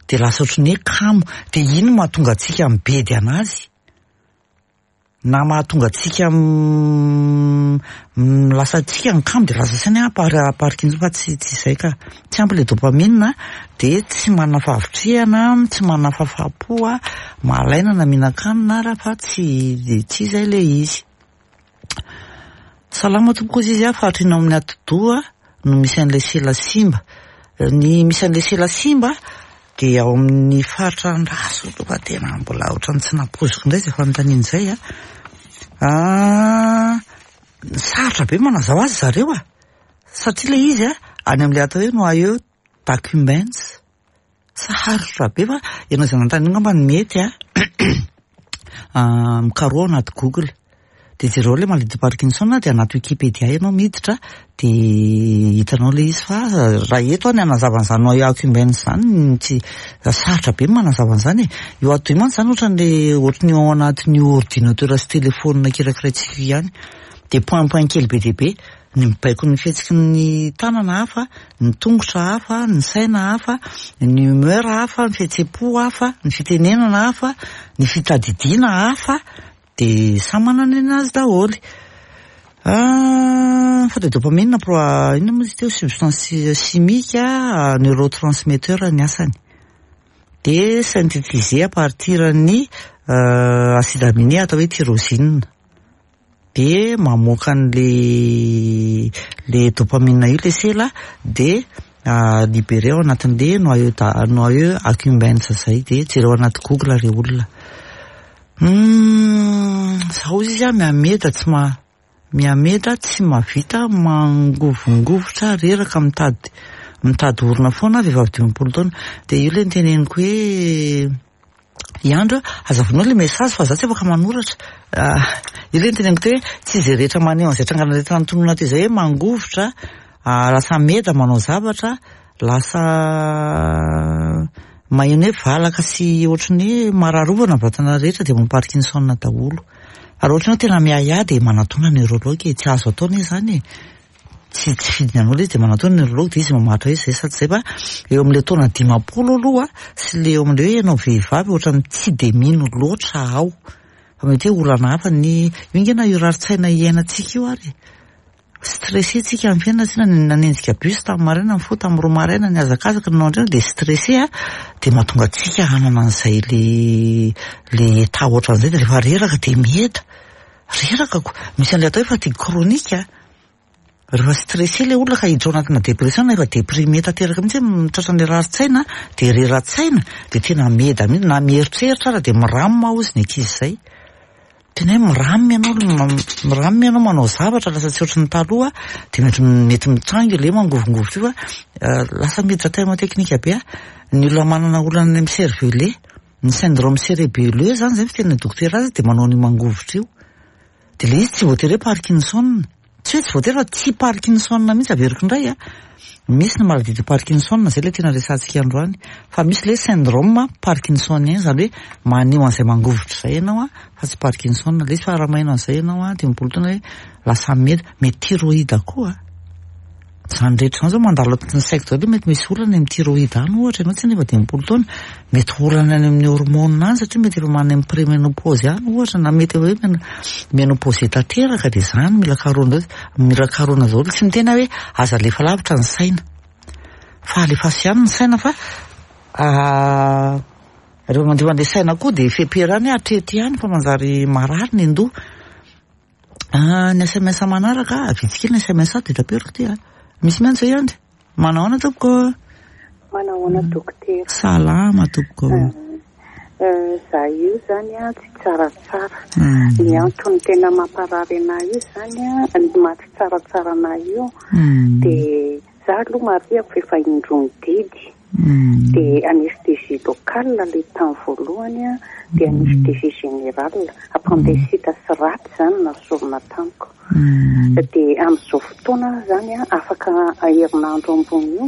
Dia lasa ohatran'ny hoe kamo, dia iny no mahatonga antsika mibedy anazy. Na mahatonga antsika lasa antsika ny kamo de lasa saina hoe Parkinson, fa tsy tsy izay ka. Tsy ampy le dopamine de tsy manana fahavitrihana, tsy manana fahafahampo, malaina na mihinan-kanina ara fa tsy tsy izay le izy. Salama tompoko izy izy a, faritra ino amin'ny atidoha no misy an'ilay sela simba? Ny misy an'ilay sela simba de ao amin'ny faritra andraso aloha fa tena mbola ohatran'ny tsy nampoiziko indray izay fanontaniana izay a. Ah, sarotra be manazava azy zareo a, satria le izy a any amin'ilay atao hoe noyau accumbens. Sarotra be fa ianao izay nanontany io angamba no mety a. Mikaroha anaty Google de jereo le maladie de Parkinson, de anaty Wikipedia ianao miditra de hitanao le izy. Fa raha eto aho ny hanazava an'izany noyau accumbens zany, tsy sarotra be ny manazava an'izany e. Io atidoha io mantsy zany ohatran'le ohatran'ny ao anatin'io ordinateur sy téléphone kirakiraintsika io ihany, de point point kely be dia be ny mibaiko ny fihetsiky ny tanana hafa, ny tongotra hafa, ny saina hafa, ny humeur hafa, ny fihetseham-po hafa, ny fitenenana hafa, ny fitadidiana hafa, de samy manana ny anazy daholo. Fa de dopamine pro inona moa izy teo, substance chimique, neurotransmetteur ny asany, de synthétisé à partir ny acide aminé atao hoe tyrosine, de mamoaka an'le le dopamine io le sela, de libéré ao anatin'le noyau noyau accumbens zay. De jereo anaty Google re olona. Zaho izy a mihameda tsy ma mihameda tsy mahavita mangovongovitra, reraka, mitady mitady orona foana, vehivavy dimampolo taona. De io le niteneniko hoe iandro azavainao le message fa za tsy afaka manoratra. Io le niteneniko teo hoe tsy izay rehetra maneho an'izay trangana rehetra notononina teo izay hoe mangovitra, lasa meda manao zavatra, lasa maheno hoe valaka sy ohatran'ny hoe mararovana ny vatana rehetra, de Parkinson daholo. Raha ohatra ianao tena miahiahy de manatona neurologue e, tsy azo atao anie zany e. Tsy tsy fidiny anao le izy, de manatona neurologue de izy mamaritra hoe zay sa tsy zay. Fa eo amin'le taona dimampolo aloha sy le eo amin'le hoe ianao vehivavy, ohatran'ny tsy de mino loatra aho fa mety hoe olana hafa ny io nge, na io rarin-tsaina iainantsika io ary stressé tsika amin'ny fiainana, tsy nanenjika bus tamin'ny maraina, ny fo tamin'ny roa maraina, ny hazakazaka nanao andrena, de stressé a, de mahatonga antsika hanana an'izay le le état ohatran'izay, de rehefa reraka de mieda reraka ko. Misy an'le atao hoe fatigue chronique rehefa stressé le olona ka hiditra ao anatina dépression, na efa déprimé tanteraka mihitsy hoe tratran'le rarin-tsaina, de rera-tsaina, de tena meda mihitsy, na mieritreritra ara de miramina hozy ny ankizy zay, tena hoe miramina ianao, miramina ianao manao zavatra, lasa tsy ohatry ny taloha, de mety mety mitranga le mangovongovitra io. Fa lasa miditra terme technique be a, ny olona manana olana any amin'ny cervelet, ny syndrome cérébelleux zany, zay fitenena dokotera azy, de manao an'io mangovitra io, de le izy tsy voatery hoe Parkinson, tsy hoe tsy voatery fa tsy Parkinson mihitsy. Averiko indray a, misy ny maladie de Parkinson, zay le tena resahantsika androany, fa misy le syndrome parkinsonien, zany hoe maneho an'izay mangovitra zay ianao a, fa tsy Parkinson le izy. Fa raha maheno an'izay ianao a, dimampolo taona, hoe lasa meda, mety thyroïde koa zany rehetra zany zao mandalo anatin'ny saiko daholo, mety misy olana amin'ny thyroïde any ohatra ianao, tsy nefa dimampolo taona, mety olana any amin'ny hormone any, satria mety efa manana amin'ny préménopause any ohatra, na mety hoe ménopause tanteraka, de zany mila karohana, mila karohana daholo. Tsy miteny hoe aza alefa lavitra ny saina, fa alefaso ihany ny saina, fa rehefa mandefa an'le saina koa de feperany hoe hatreto ihany fa manjary marary ny andoha. Ny S M S manaraka, vitsy kely ny S M S ato, de taperiko ty a. Misy miantso zay andry. Manao ahoana tompoko? Manahoana dokotera? Salama tompoko. Za io zany a tsy tsaratsara. Ny antony tena mamparary anahy io zany a, ny maha tsy tsaratsara anahy io, de za aloha marihako fa efa indroa didy, de anesthésie locale le tamin'ny voalohany a, de anesthésie générale, appendicite sy raty zany nasorona tamiko. De amin'izao fotoana zany a, afaka herinandro ambony io,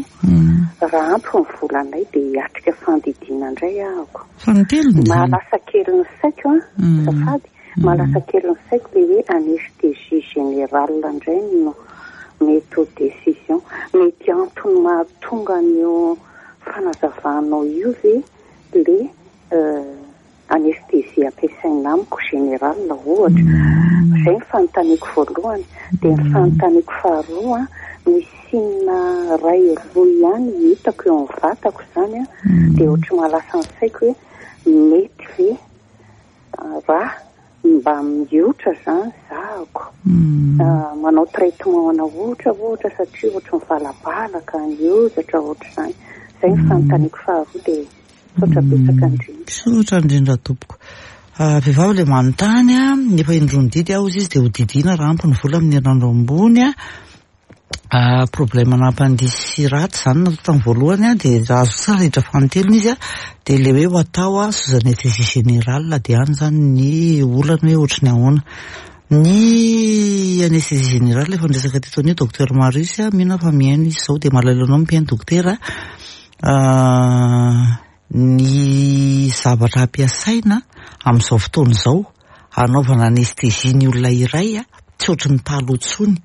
raha ampy ny volanay, de hiatrika fandidiana indray ahako. Fanitelony. Mahalasa kely ny saiko a, zafady, mahalasa kely ny saiko le hoe anesthésie générale indray no mety ho décision. Mety antony mahatonga an'io fanazavanao io ve le anesthésie ampiasaina amiko général ohatra. Izay ny fanontaniako voalohany. Dia ny fanontaniako faharoa, misy signe ray roa ihany hitako eo amin'ny vatako izany a, dia ohatry mahalasa ny saiko hoe mety ve raha mba miotra izany zahako, manao traitement ana ohatra ohatra satria ohatry mivalabalaka ny hozatra ohatra izany. Izay ny fanontaniako faharoa, dia misaotra betsaka indrindra. Misaotra indrindra tompoko. Vehivavy ilay manontany a, efa indroa nididy aho izy dia ho didiana raha ampy ny vola amin'ny herinandro ambony a. Problème nampandihy ratsy izany natao tamin'ny voalohany a, dia raha azo tsara hiditra fanintelony izy a, dia ilay hoe ho atao a sous anesthésie générale, dia any izany ny olana hoe ohatry ny ahoana. Ny anesthésie générale efa niresaka teto an'io docteur Marius a, mino aho fa mihaino izy izao, dia malahelo anao mpihaino dokotera. Ny zavatra ampiasaina amin'izao fotoana izao hanaovana anesthésie ny olona iray a, tsy ohatry ny taloha intsony.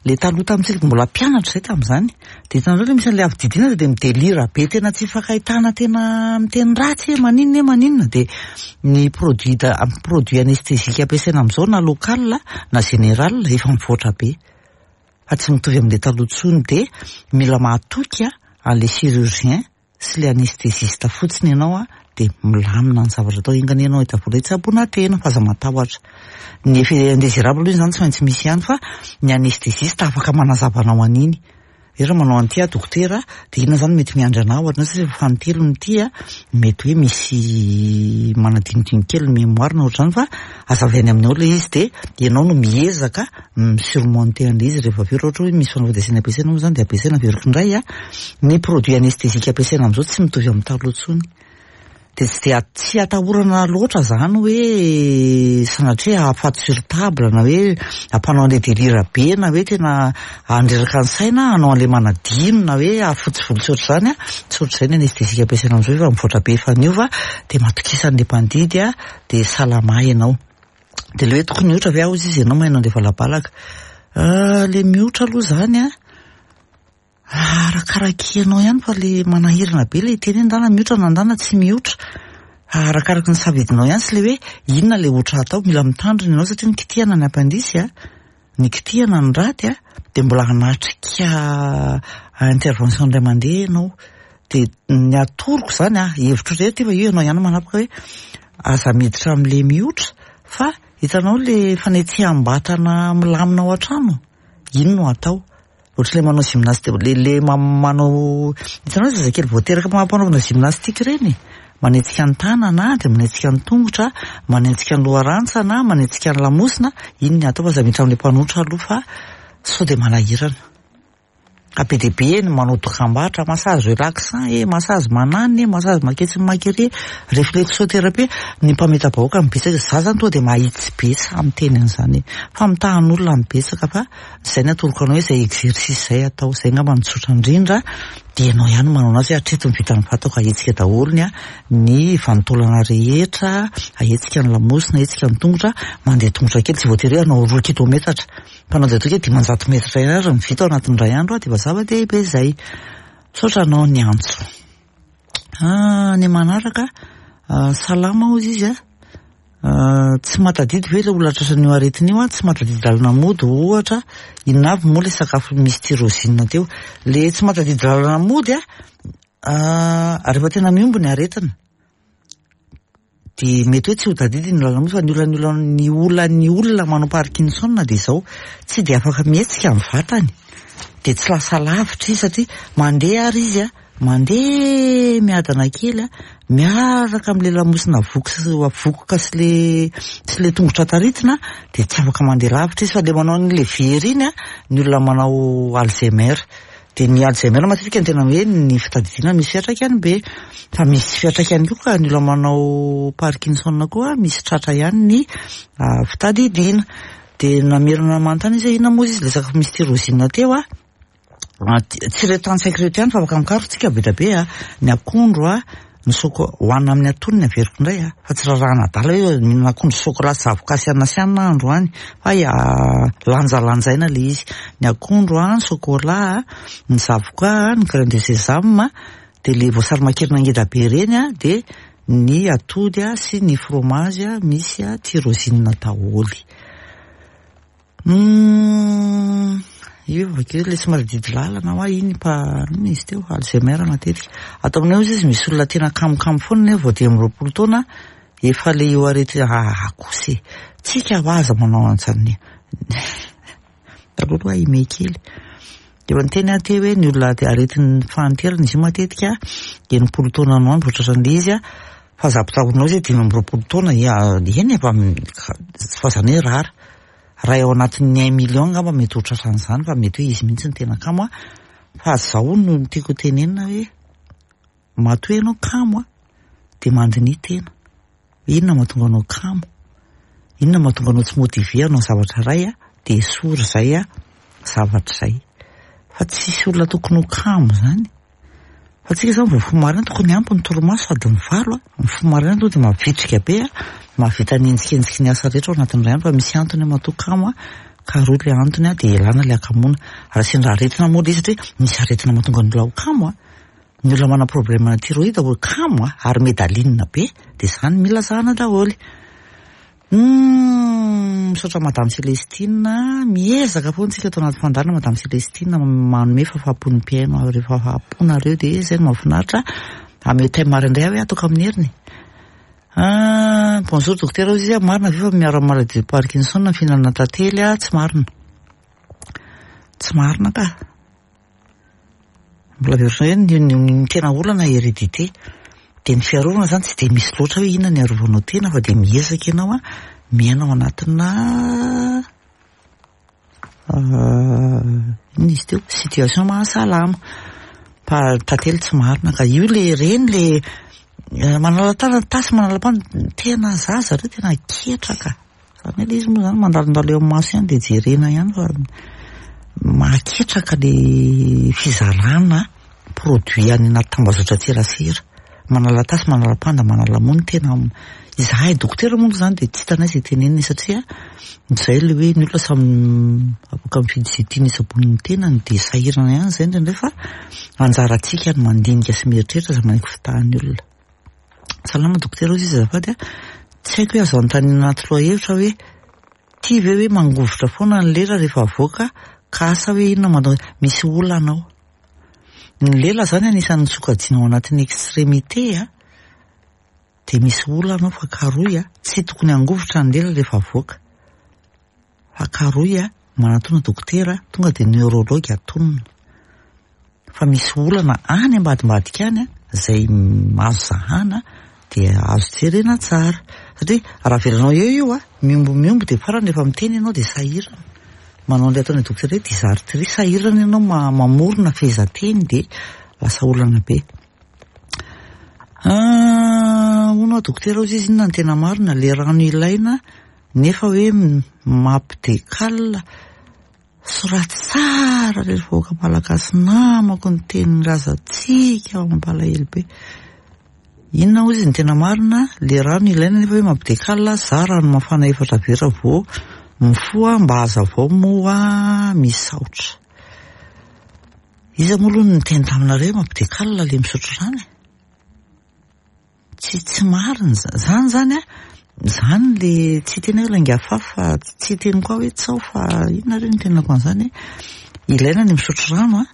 Le taloha tamintsika mbola mpianatra izay tamin'izany, dia hitanareo le misy an'ilay avy didiana dia midelira be, tena tsy ifankahitana, tena miteny ratsy hoe maninona e maninona. Dia ny produit da- produit anesthésique ampiasaina amin'izao na local na général efa mivoatra be, fa tsy mitovy amin'ilay taloha intsony. Dia mila mahatoky an'ilay chirurgien sy ilay anesthésiste fotsiny ianao a, dia milamina ny zavatra atao. Ingana ianao hita vola hitsaboana tena, fa aza matahotra. Ny effet indésirable aloha izany tsy maintsy misy ihany, fa ny anesthésiste afaka manazava anao an'iny. Hoe raha manao an'ity aho dokotera, dia inona izany mety miandry anao ohatra satria efa fanintelony ity a, mety hoe misy manadinodino kely ny mémoire na ohatr'izany, fa azavainy aminao ilay izy, dia ianao no miezaka mi-surmonter an'ilay izy rehefa avy eo. Raha ohatra hoe misy fanafody asiana ampiasaina moa izany dia ampiasaina. Averiko indray a, ny produit anesthésique ampiasaina amin'izao tsy mitovy amin'ny taloha intsony, dia tsy dia tsy atahorana loatra izany hoe sanatria hahafaty sur table na hoe hampanao an'ilay délire be na hoe tena handreraka ny saina hanao an'ilay manadino na hoe hahafotsy volo, tsy ohatr'izany a, tsy ohatr'izay ny anesthésique ampiasaina amin'izao, efa mivoatra be, efa niova. Dia matokisa an'ilay mpandidy a, dia salama ianao. Dia le hoe tokony miotra ve aho izy izy ianao maheno an'ilay valabalaka le miotra aloha izany a, arakaraky ianao ihany, fa le manahirana be le teny hoe ndana miotra na ndana tsy miotra, arakaraky ny safidinao ihany sy le hoe inona le otra atao. Mila mitandrina ianao satria ny kitihana ny appendice a, ny kitihana ny raty a, dia mbola hanatrika intervention indray mandeha ianao. Dia ny atoroko izany a, hevitro rehetra fa io ianao ihany manapaka, hoe aza miditra amin'le miotra, fa hitanao le fanetseham-batana milamina ao an-trano ino no atao, ohatra le manao gymnastique, le le manao, hitanao zazakely voateraka mampanaovana gymnastique ireny, manetsika ny tanana, dia manetsika ny tongotra, manetsika ny loharantsana, manetsika ny lamosina, iny ny atao, fa aza miditra amin'ilay mpanotra aloha fa sao dia manahirana. Be dia be ny manao dokam-barotra, massage relaxant e, massage mananina e, massage maketsy makery, réflexothérapie, ny mpameta-bahoaka mibetsaka. Za zany tonga dia mahitsy be sa miteny an'izany fa mitahan'olona mibetsaka, fa izay ny atoroko anao hoe izay exercice izay atao, izay angamba no tsotra indrindra. Dia ianao ihany manao anazy hoe hatreto ny vitan'ny vatako, ahetsika daholo ny a ny vanin-taolana rehetra, ahetsika ny lamosina, ahetsika ny tongotra, mandeha tongotra kely, tsy voatery hoe hanao roa kilometatra, fa mandeha tongotra dimanjato metatra ihany ary vita ao anatin'ny iray andro, dia efa zava-dehibe izay. Misaotra anao ny antso. Ny manaraka, salama hozy izy a, tsy mahatadidy ve ilay olona tratran'io aretina io a, tsy mahatadidy lalana mody ohatra, inona avy moa ilay sakafo misy tyrosine teo? Le tsy mahatadidy lalana mody a, rehefa tena mihombo ny aretina dia mety hoe tsy ho tadidy ny lalana mody, fa ny olana ny olana ny olona manao Parkinson dia izao, tsy dia afaka mihetsika ny vatany, dia tsy lasa lavitra izy satria mandeha ary izy a, mandeha miadana kely a, miaraka amin'ilay lamosina vokoka sy le sy le tongotra taritina, dia tsy afaka mandeha lavitra izy. Fa le manao an'ilay very iny a, ny olona manao Alzheimer. Dia ny Alzheimer matetika ny tena hoe ny fitadidiana misy fiantraikany be, fa misy fiantraikany koa ka ny olona manao Parkinson koa misy tratra ihany ny fitadidiana. Dia namerina manontany izy hoe inona moa izy ilay sakafo misy tyrosine teo a? Tsy ireto tantsaiko ireto ihany fa afaka mikaroka tsika be dia be a, ny akondro a, ny soko hohanina amin'ny antonony, averiko indray a, fa tsy rarahana adala hoe mihinana akondro, sokola, zavoka sy anana sy anana androany, fa lanjalanjaina ilay izy. Ny akondro a, ny sokola a, ny zavoka, ny graine de sésame, dia ilay voasary makirana ngeda be ireny a, dia ny atody a sy ny fromage a misy a tyrosine daholo. Hmm, io avakeo le somary didy lalana hoa iny pa inona izy teo, Alzheimer matetika. Atao aminay ozy izy misy olona tena kamokamo foana nefa vao dimy amby roapolo taona efa le io arety ah kosa e. Tsika ho aza manao an'izany. Taloha aloha ime kely. Efa niteny aho teo hoe ny olona aretin'ny fahanterana izy io matetika enimpolo taona no andro vao tratran'ilay izy a, fa za mpitahorinao izy dimy amby roapolo taona eny efa fa zany hoe rara. Raha ao anatin'ny un million angamba mety ho tratran'izany fa mety hoe izy mihitsy ny tena kamo a. Fa zao no tiako tenenina hoe matoa ianao kamo a dia mandiniha tena. Inona mahatonga anao kamo? Inona mahatonga anao tsy motivé hanao zavatra iray a? Dia esory izay a zavatra izay. Fa tsisy olona tokony ho kamo zany. Fa tsika zany vao mifoha maraina tokony ampy ny torimaso sady mivalo a. Mifoha maraina tonga dia mavitrika be a, mahavita ny enjikenjiky ny asa rehetra ao anatin'ny iray andro fa misy antony matoa kamo a, ka roa le antony a dia ialana le hakamoana. Raha sendra aretina moa le izy satria misy aretina mahatonga ny olona ho kamo a. Ny olona manana problème thyroïde ho kamo a, ary medaline be, dia zany mila zahana daholo. Hmm, misaotra Madame Célestine, miezaka foana tsika ato anaty fandaharana Madame Célestine manome fahafahampon'ny mpihaino rehefa fahafahamponareo dia izay no mahafinaritra. Ameo thème indray aho hoe ataoko amin'ny heriny. Ah, bonjour docteur, izy marina ve fa miaro amin'ny maladie de Parkinson ny fihinanana tantely a? Tsy marina. Tsy marina ka. Mbola averina hoe ny, ny, ny tena olana hérédité. Dia ny fiarovana zany tsy dia misy loatra hoe inona ny arovanao tena fa dia miezaka ianao a miaina ao anatina inona izy teo, situation mahasalama. Fa tantely tsy marina ka io le reny le manala tanana tasy manala pano tena zaza zareo tena ketraka. Zany hoe le izy moa zany mandalondalo eo amin'ny maso ihany dia jerena ihany fa mahaketraka le fizarana produit any anaty tambazotra tserasera. Manala tasy, manala panda, manala mony tena izahay dokotera moa zany dia tsy hitanay izay tenenina satria izay le hoe ny olona samy afaka mifidy izay tiany isabonin'ny tenany dia sahirana ihany izay indraindray fa anjarantsika ny mandinika sy mieritreritra aza manaiky fitahan'ny olona. Salama dokotera hozy izy azafady a, tsy haiko hoe azo anontaniana anaty lohahevitra hoe tia ve hoe mangovitra foana ny lela rehefa avoaka ka asa hoe inona mahatonga misy olana ao. Ny lela zany anisan'ny sokajiana ao anatin'ny extrémité a, dia misy olana ao fa karoy a, tsy tokony hangovitra ny lela rehefa avoaka. Fa karoy a, manatona dokotera tonga dia neurologue atonina. Fa misy olana any ambadimbadika any a, izay azo zahana dia azo jerena tsara. Satria raha avelanao eo io a, miombo miombo dia farany rehefa miteny ianao dia sahirana. Manao an'ilay ataon'ny dokotera hoe dysarthrie, sahirana ianao mamorona fehezanteny dia lasa olana be. Ah, hono aho dokotera hozy izy inona ny tena marina, le rano ilaina nefa hoe mampidekala. Soraty tsara re vahoaka malagasy namako ny teny razantsika mampalahelo be. Inona hozy ny tena marina, le rano ilaina nefa hoe mampidekala, za rano mafana efatra vera vao mifoha mba hazavao moa misaotra. Iza moa aloha no niteny taminareo mampidekala le misotro rano e? Tsy tsy marina zany zany a, zany le tsy tena hoe lainga afafy fa tsy teny koa hoe tsao fa inona re ny tenako an'izany e? Ilaina ny misotro rano a,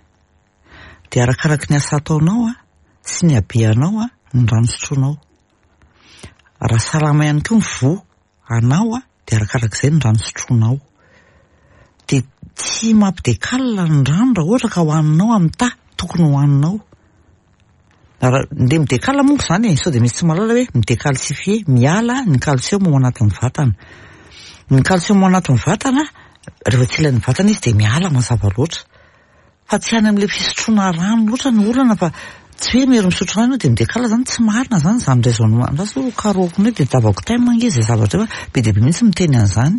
dia arakaraky ny asa ataonao a sy ny habeanao a ny rano sotroinao. Raha salama ihany koa ny voa anao a dia arakarak'izay ny rano sotroinao. Dia tsy mampidekala ny rano raha ohatra ka hohaninao amin'ny taha tokony hohaninao. Raha ndeha midekala monko zany e, sao dia misy tsy mahalala hoe midécalcifié, miala ny calcium ao anatin'ny vatana. Ny calcium ao anatin'ny vatana, rehefa tsy ilain'ny vatana izy dia miala mazava loatra. Fa tsy any amin'ilay fisotroana rano loatra ny olana fa tsy hoe mery misotro rano dia midekala zany, tsy marina zany zany raisonnement. Andraso aloha karohiko indray dia tavako thème ange izay zavatra io fa be dia be mihitsy miteny an'izany.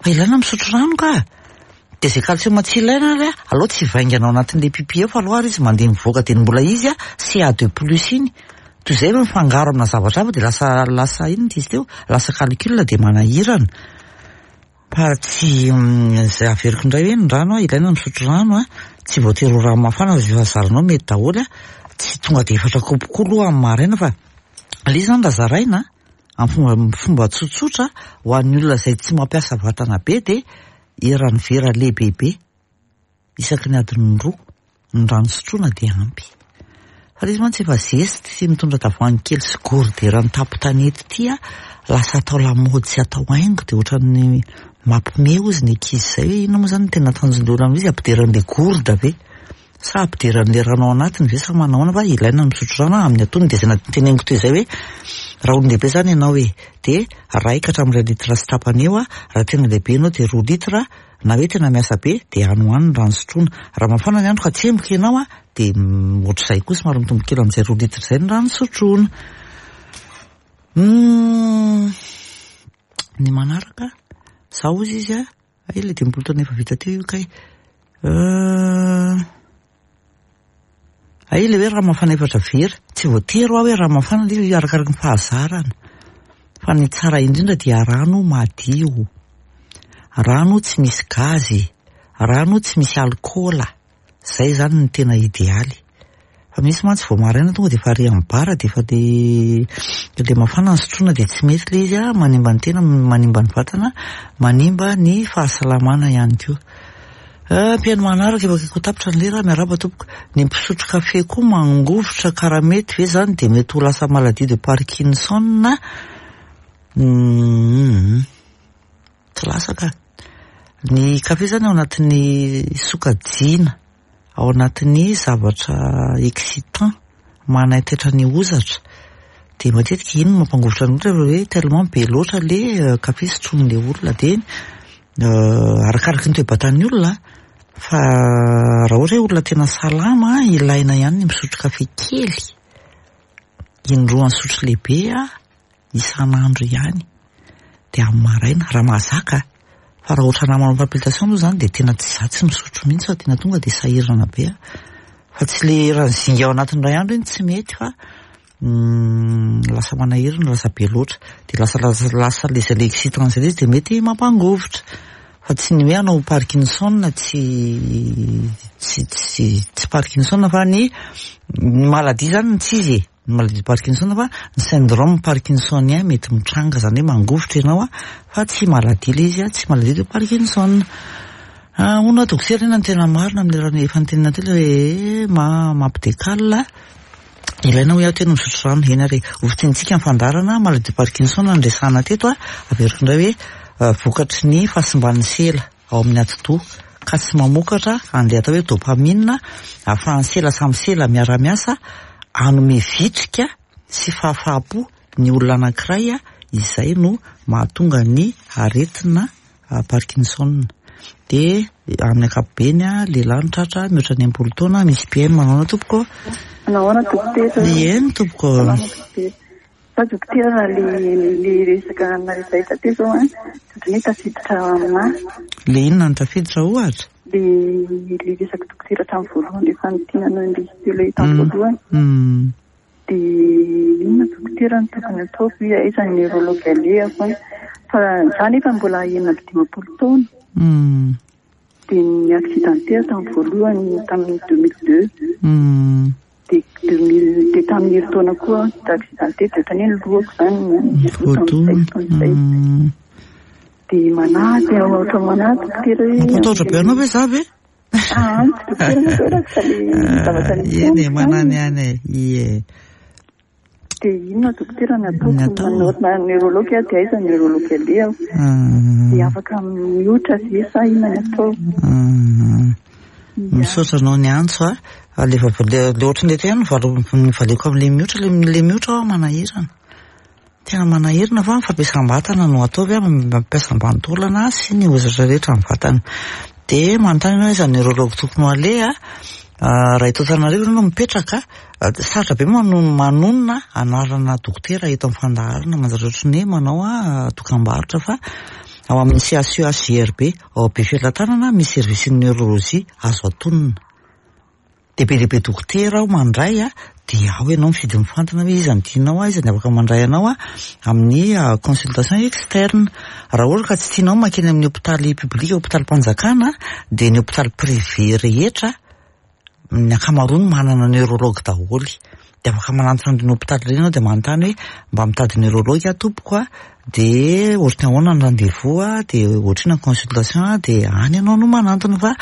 Fa ilaina misotro rano ka. Dia izay calcium tsy ilaina ary a, aleo tsy hivaingana ao anatin'ilay pipi ao fa aleo ary izy mandeha mivoaka dia mbola izy a C A deux plus iny. Toy izay mifangaro amina zavatra hafa dia lasa lasa inona izy teo, lasa calcul dia manahirana. Fa tsy izay averiko indray hoe ny rano a, ilaina misotro rano a, tsy voatery ho rano mafana fa izay efa zaranao mety daholo a, tsy tonga dia efatra kaopy koa aloha amin'ny maraina fa Ilay izy izany raha zaraina amin'ny fomba fomba tsotsotra ho an'ny olona izay tsy mampiasa vatana be dia eran'ny vera lehibebe isaky ny adiny roa ny rano sotroina dia ampy. Fa ilay izy mantsy efa zesty sy mitondra tavoahangy kely sy gourde eran'ny tampon-tanety ity a, lasa atao lamaody sy atao haingo dia ohatran'ny mampime hozy ny ankizy izay hoe inona moa izany no tena tanjon'ilay olona amin'izy, ampidiran'ilay gourde ve sa ampidiran'ilay rano ao anatiny ve sa manao ahoana, fa ilaina ny misotro rano amin'ny antonony. Dia izay nateneniko teo izay hoe raha olon-dehibe izany ianao e, dia iray ka hatramin'ny iray litre sy tapany eo, raha tena lehibe ianao dia roa litre, na hoe tena miasa be dia any ho any ny rano sotroina. Raha mafana ny andro ka tsemboka ianao a, dia ohatr'izay koa, somary mitombo kely amin'izay roa litre izay ny rano sotroina. Hmm, ny manaraka, za hozy izy a, ay ilay dimampolo taona efa vita teo io kay. Euh, ay ilay hoe rano mafana efatra vera, tsy voatery ho aho hoe rano mafana ilay izy, arakaraky ny fahazarana. Fa ny tsara indrindra dia rano madio, rano tsy misy gazy, rano tsy misy alikaola, izay izany no tena idealy. Fa misy mantsy vao maraina tonga dia efa ary amin'ny bar dia efa le le mafana ny sotroina dia tsy mety ilay izy a, manimba ny tena, manimba ny vatana, manimba ny fahasalamana ihany koa. Mpihaino manaraka, efa akaiky ho tapitra ny lera, miarahaba tompoko. Ny mpisotro kafe koa mangovitra ka raha mety ve izany dia mety ho lasa maladie de Parkinson? Hmm, tsy lasa ka. Ny kafe izany ao anatin'ny sokajiana, ao anatin'ny zavatra excitant, manaitaitra ny hozatra. Dia matetika iny no mampangovitra ny olona hoe tellement be loatra le kafe sotroin'ilay olona, dia arakaraky ny toe-batan'ny olona, fa raha ohatra hoe olona tena salama, ilaina ihany ny misotro kafe kely, indroa nisotro lehibe isan'andro ihany, dia amin'ny maraina raha mahazaka. Fa raha ohatra nahy manao palpitation aloha izany dia tena tsy za tsy misotro mihitsy fa tena tonga dia sahirana be aho. Fa tsy le eran'ny zinga ao anatin'ny iray andro iny tsy mety fa lasa manahirana, lasa be loatra, dia lasa lasa lasa le zay le excitant zay le izy dia mety mampangovitra. Fa tsy ny hoe hanao Parkinson, tsy tsy tsy tsy Parkinson fa ny ny maladie zany no tsy izy e, ny maladie de Parkinson, fa ny syndrome parkinsonien mety mitranga, zany hoe mangovitra ianao a, fa tsy maladie le izy a, tsy maladie de Parkinson. Ah, hono aho dokotera, inona no tena marina amin'ilay raha efa nitenenina teo ilay hoe ma mampidécale? Ilaina hoy aho tena misotro rano. Eny ary, ho fintinitsika ny fandaharana maladie de Parkinson no resahana teto a, averiko indray hoe vokatry ny fahasimban'ny sela ao amin'ny atidoha ka tsy mamokatra an'ilay atao hoe dopamine ahafahan'ny sela samy sela miara-miasa hanome vitrika sy fahafaham-po ny olona anankiray a, izay no mahatonga ny aretina Parkinson. Dia amin'ny ankapobeny a, lehilahy no tratra mihoatra ny enimpolo taona. Misy mpihaino, manao ahoana tompoko? Manao ahoana dokotera? Eny tompoko. Fa dokotera, le le resaka naresaita teo zao a, ohatrany hoe tafiditra aminahy. Le inona no tafiditra ohatra? Le le resaka dokotera hatramin'ny voalohany rehefa nitenanao indrisy teo ilay tamin'ny voalohany. Mm. Dia inona dokotera no tokony ataoko, hoe aiza ny neurologue alehako? Fa za nefa mbola enina amby dimampolo taona. Mm. Dia ny accidenté tamin'ny voalohany tamin'ny deux mille deux. Mm. Dia deux mille dia tamin'ny herintaona koa accidenté, dia ohatrany hoe ny lohako zany Voadona. tamin'izay. Mm. Dia manahy aho, ohatra manahy dokotera hoe Mampatahotra be anao ve za ve? Ah, tsy dokotera moa fa le zavatra nisy Eny e, amiko manany zany. ihany e. Ie. Dia inona dokotera ny ataoko? Ny atao? Manao neurologue aho, dia aiza ny neurologue alehako? Mm. Dia afaka mihoatra ve sa inona ny atao? Mm. Misaotra anao ny antso a. Le va- le le ohatran'ny eto ihany valo ny valeko amin'le mihoatra, le le mihoatra aho manahirana. Tena manahirana fa fampiasam-batana no ataovy a, mampiasam-bantaolana sy ny hozatra rehetra amin'ny vatana. Dia manontany ianao aiza ny neurologue tokony ho aleha? Ah, raha eto Antananarivo ianao no mipetraka, ah, sarotra be mano- manonona anarana dokotera eto amin'ny fandaharana, manjary ohatran'ny hoe manao a dokam-barotra, fa ao amin'ny C H U H J R B ao Befelatanana misy service ny neurologie azo atonina. Dia be dia be dokotera ao mandray a, dia ao ianao mifidy mifantana hoe iza no tianao a, iza ny afaka mandray anao a amin'ny ah, consultation externe. Raha ohatra ka tsy tianao mankeny amin'ny hôpitaly public, hôpitalim-panjakana, dia ny hôpitaly privé rehetra ny ankamaroany manana neurologue daholo. De afaka manantona an'ireny hôpitaly ireny ianao, de manontany hoe mba mitady neurologue aho tompoko a, de ohatry ny ahoana ny rendez-vous a, de ohatrinona ny consultation a, de any ianao no manantona. Fa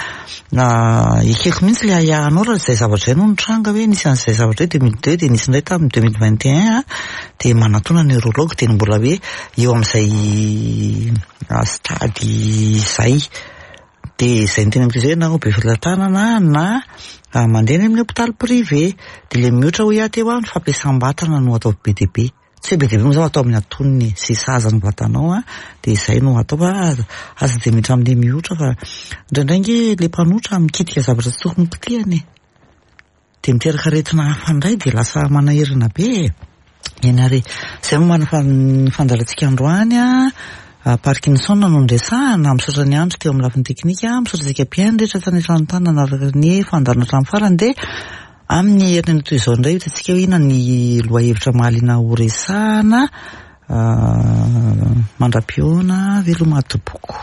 ekeko mihitsy le ahiahinao raha izay zavatra izay no nitranga, hoe nisy an'izay zavatra hoe deux mille deux, de nisy indray tamin'ny deux mille vingt et un a, de manantona neurologue de mbola hoe eo amin'izay stade izay. De izay ny tena mety izay, na ao Befelatanana na mandeha any amin'ny hôpitaly privé. De le mihoatra hoy aho teo a, ny fampiasam-batana no atao be dia be, tsy hoe be dia be moa zany, atao amin'ny antonony sy sahaza ny vatanao a, de izay no atao. Fa aza de miditra amin'le mihoatra, fa indraindray nge le mpanotra mikitika zavatra tsy tokony kitihany e, de miteraka aretina hafa indray, de lasa manahirana be e. Eny ary, izay moa mana ny fandaharantsika androany a, Parkinson no noresahana. Misaotra ny andro teo amin'ny lafiny teknika, misaotra antsika mpihaino rehetra tany an-trano nanaraka ny fandaharana hatramin'ny farany. De amin'ny herinandro toy izao indray hitantsika hoe inona ny lohahevitra mahaliana ho resahana. Mandra-pihaona, veloma tompoko.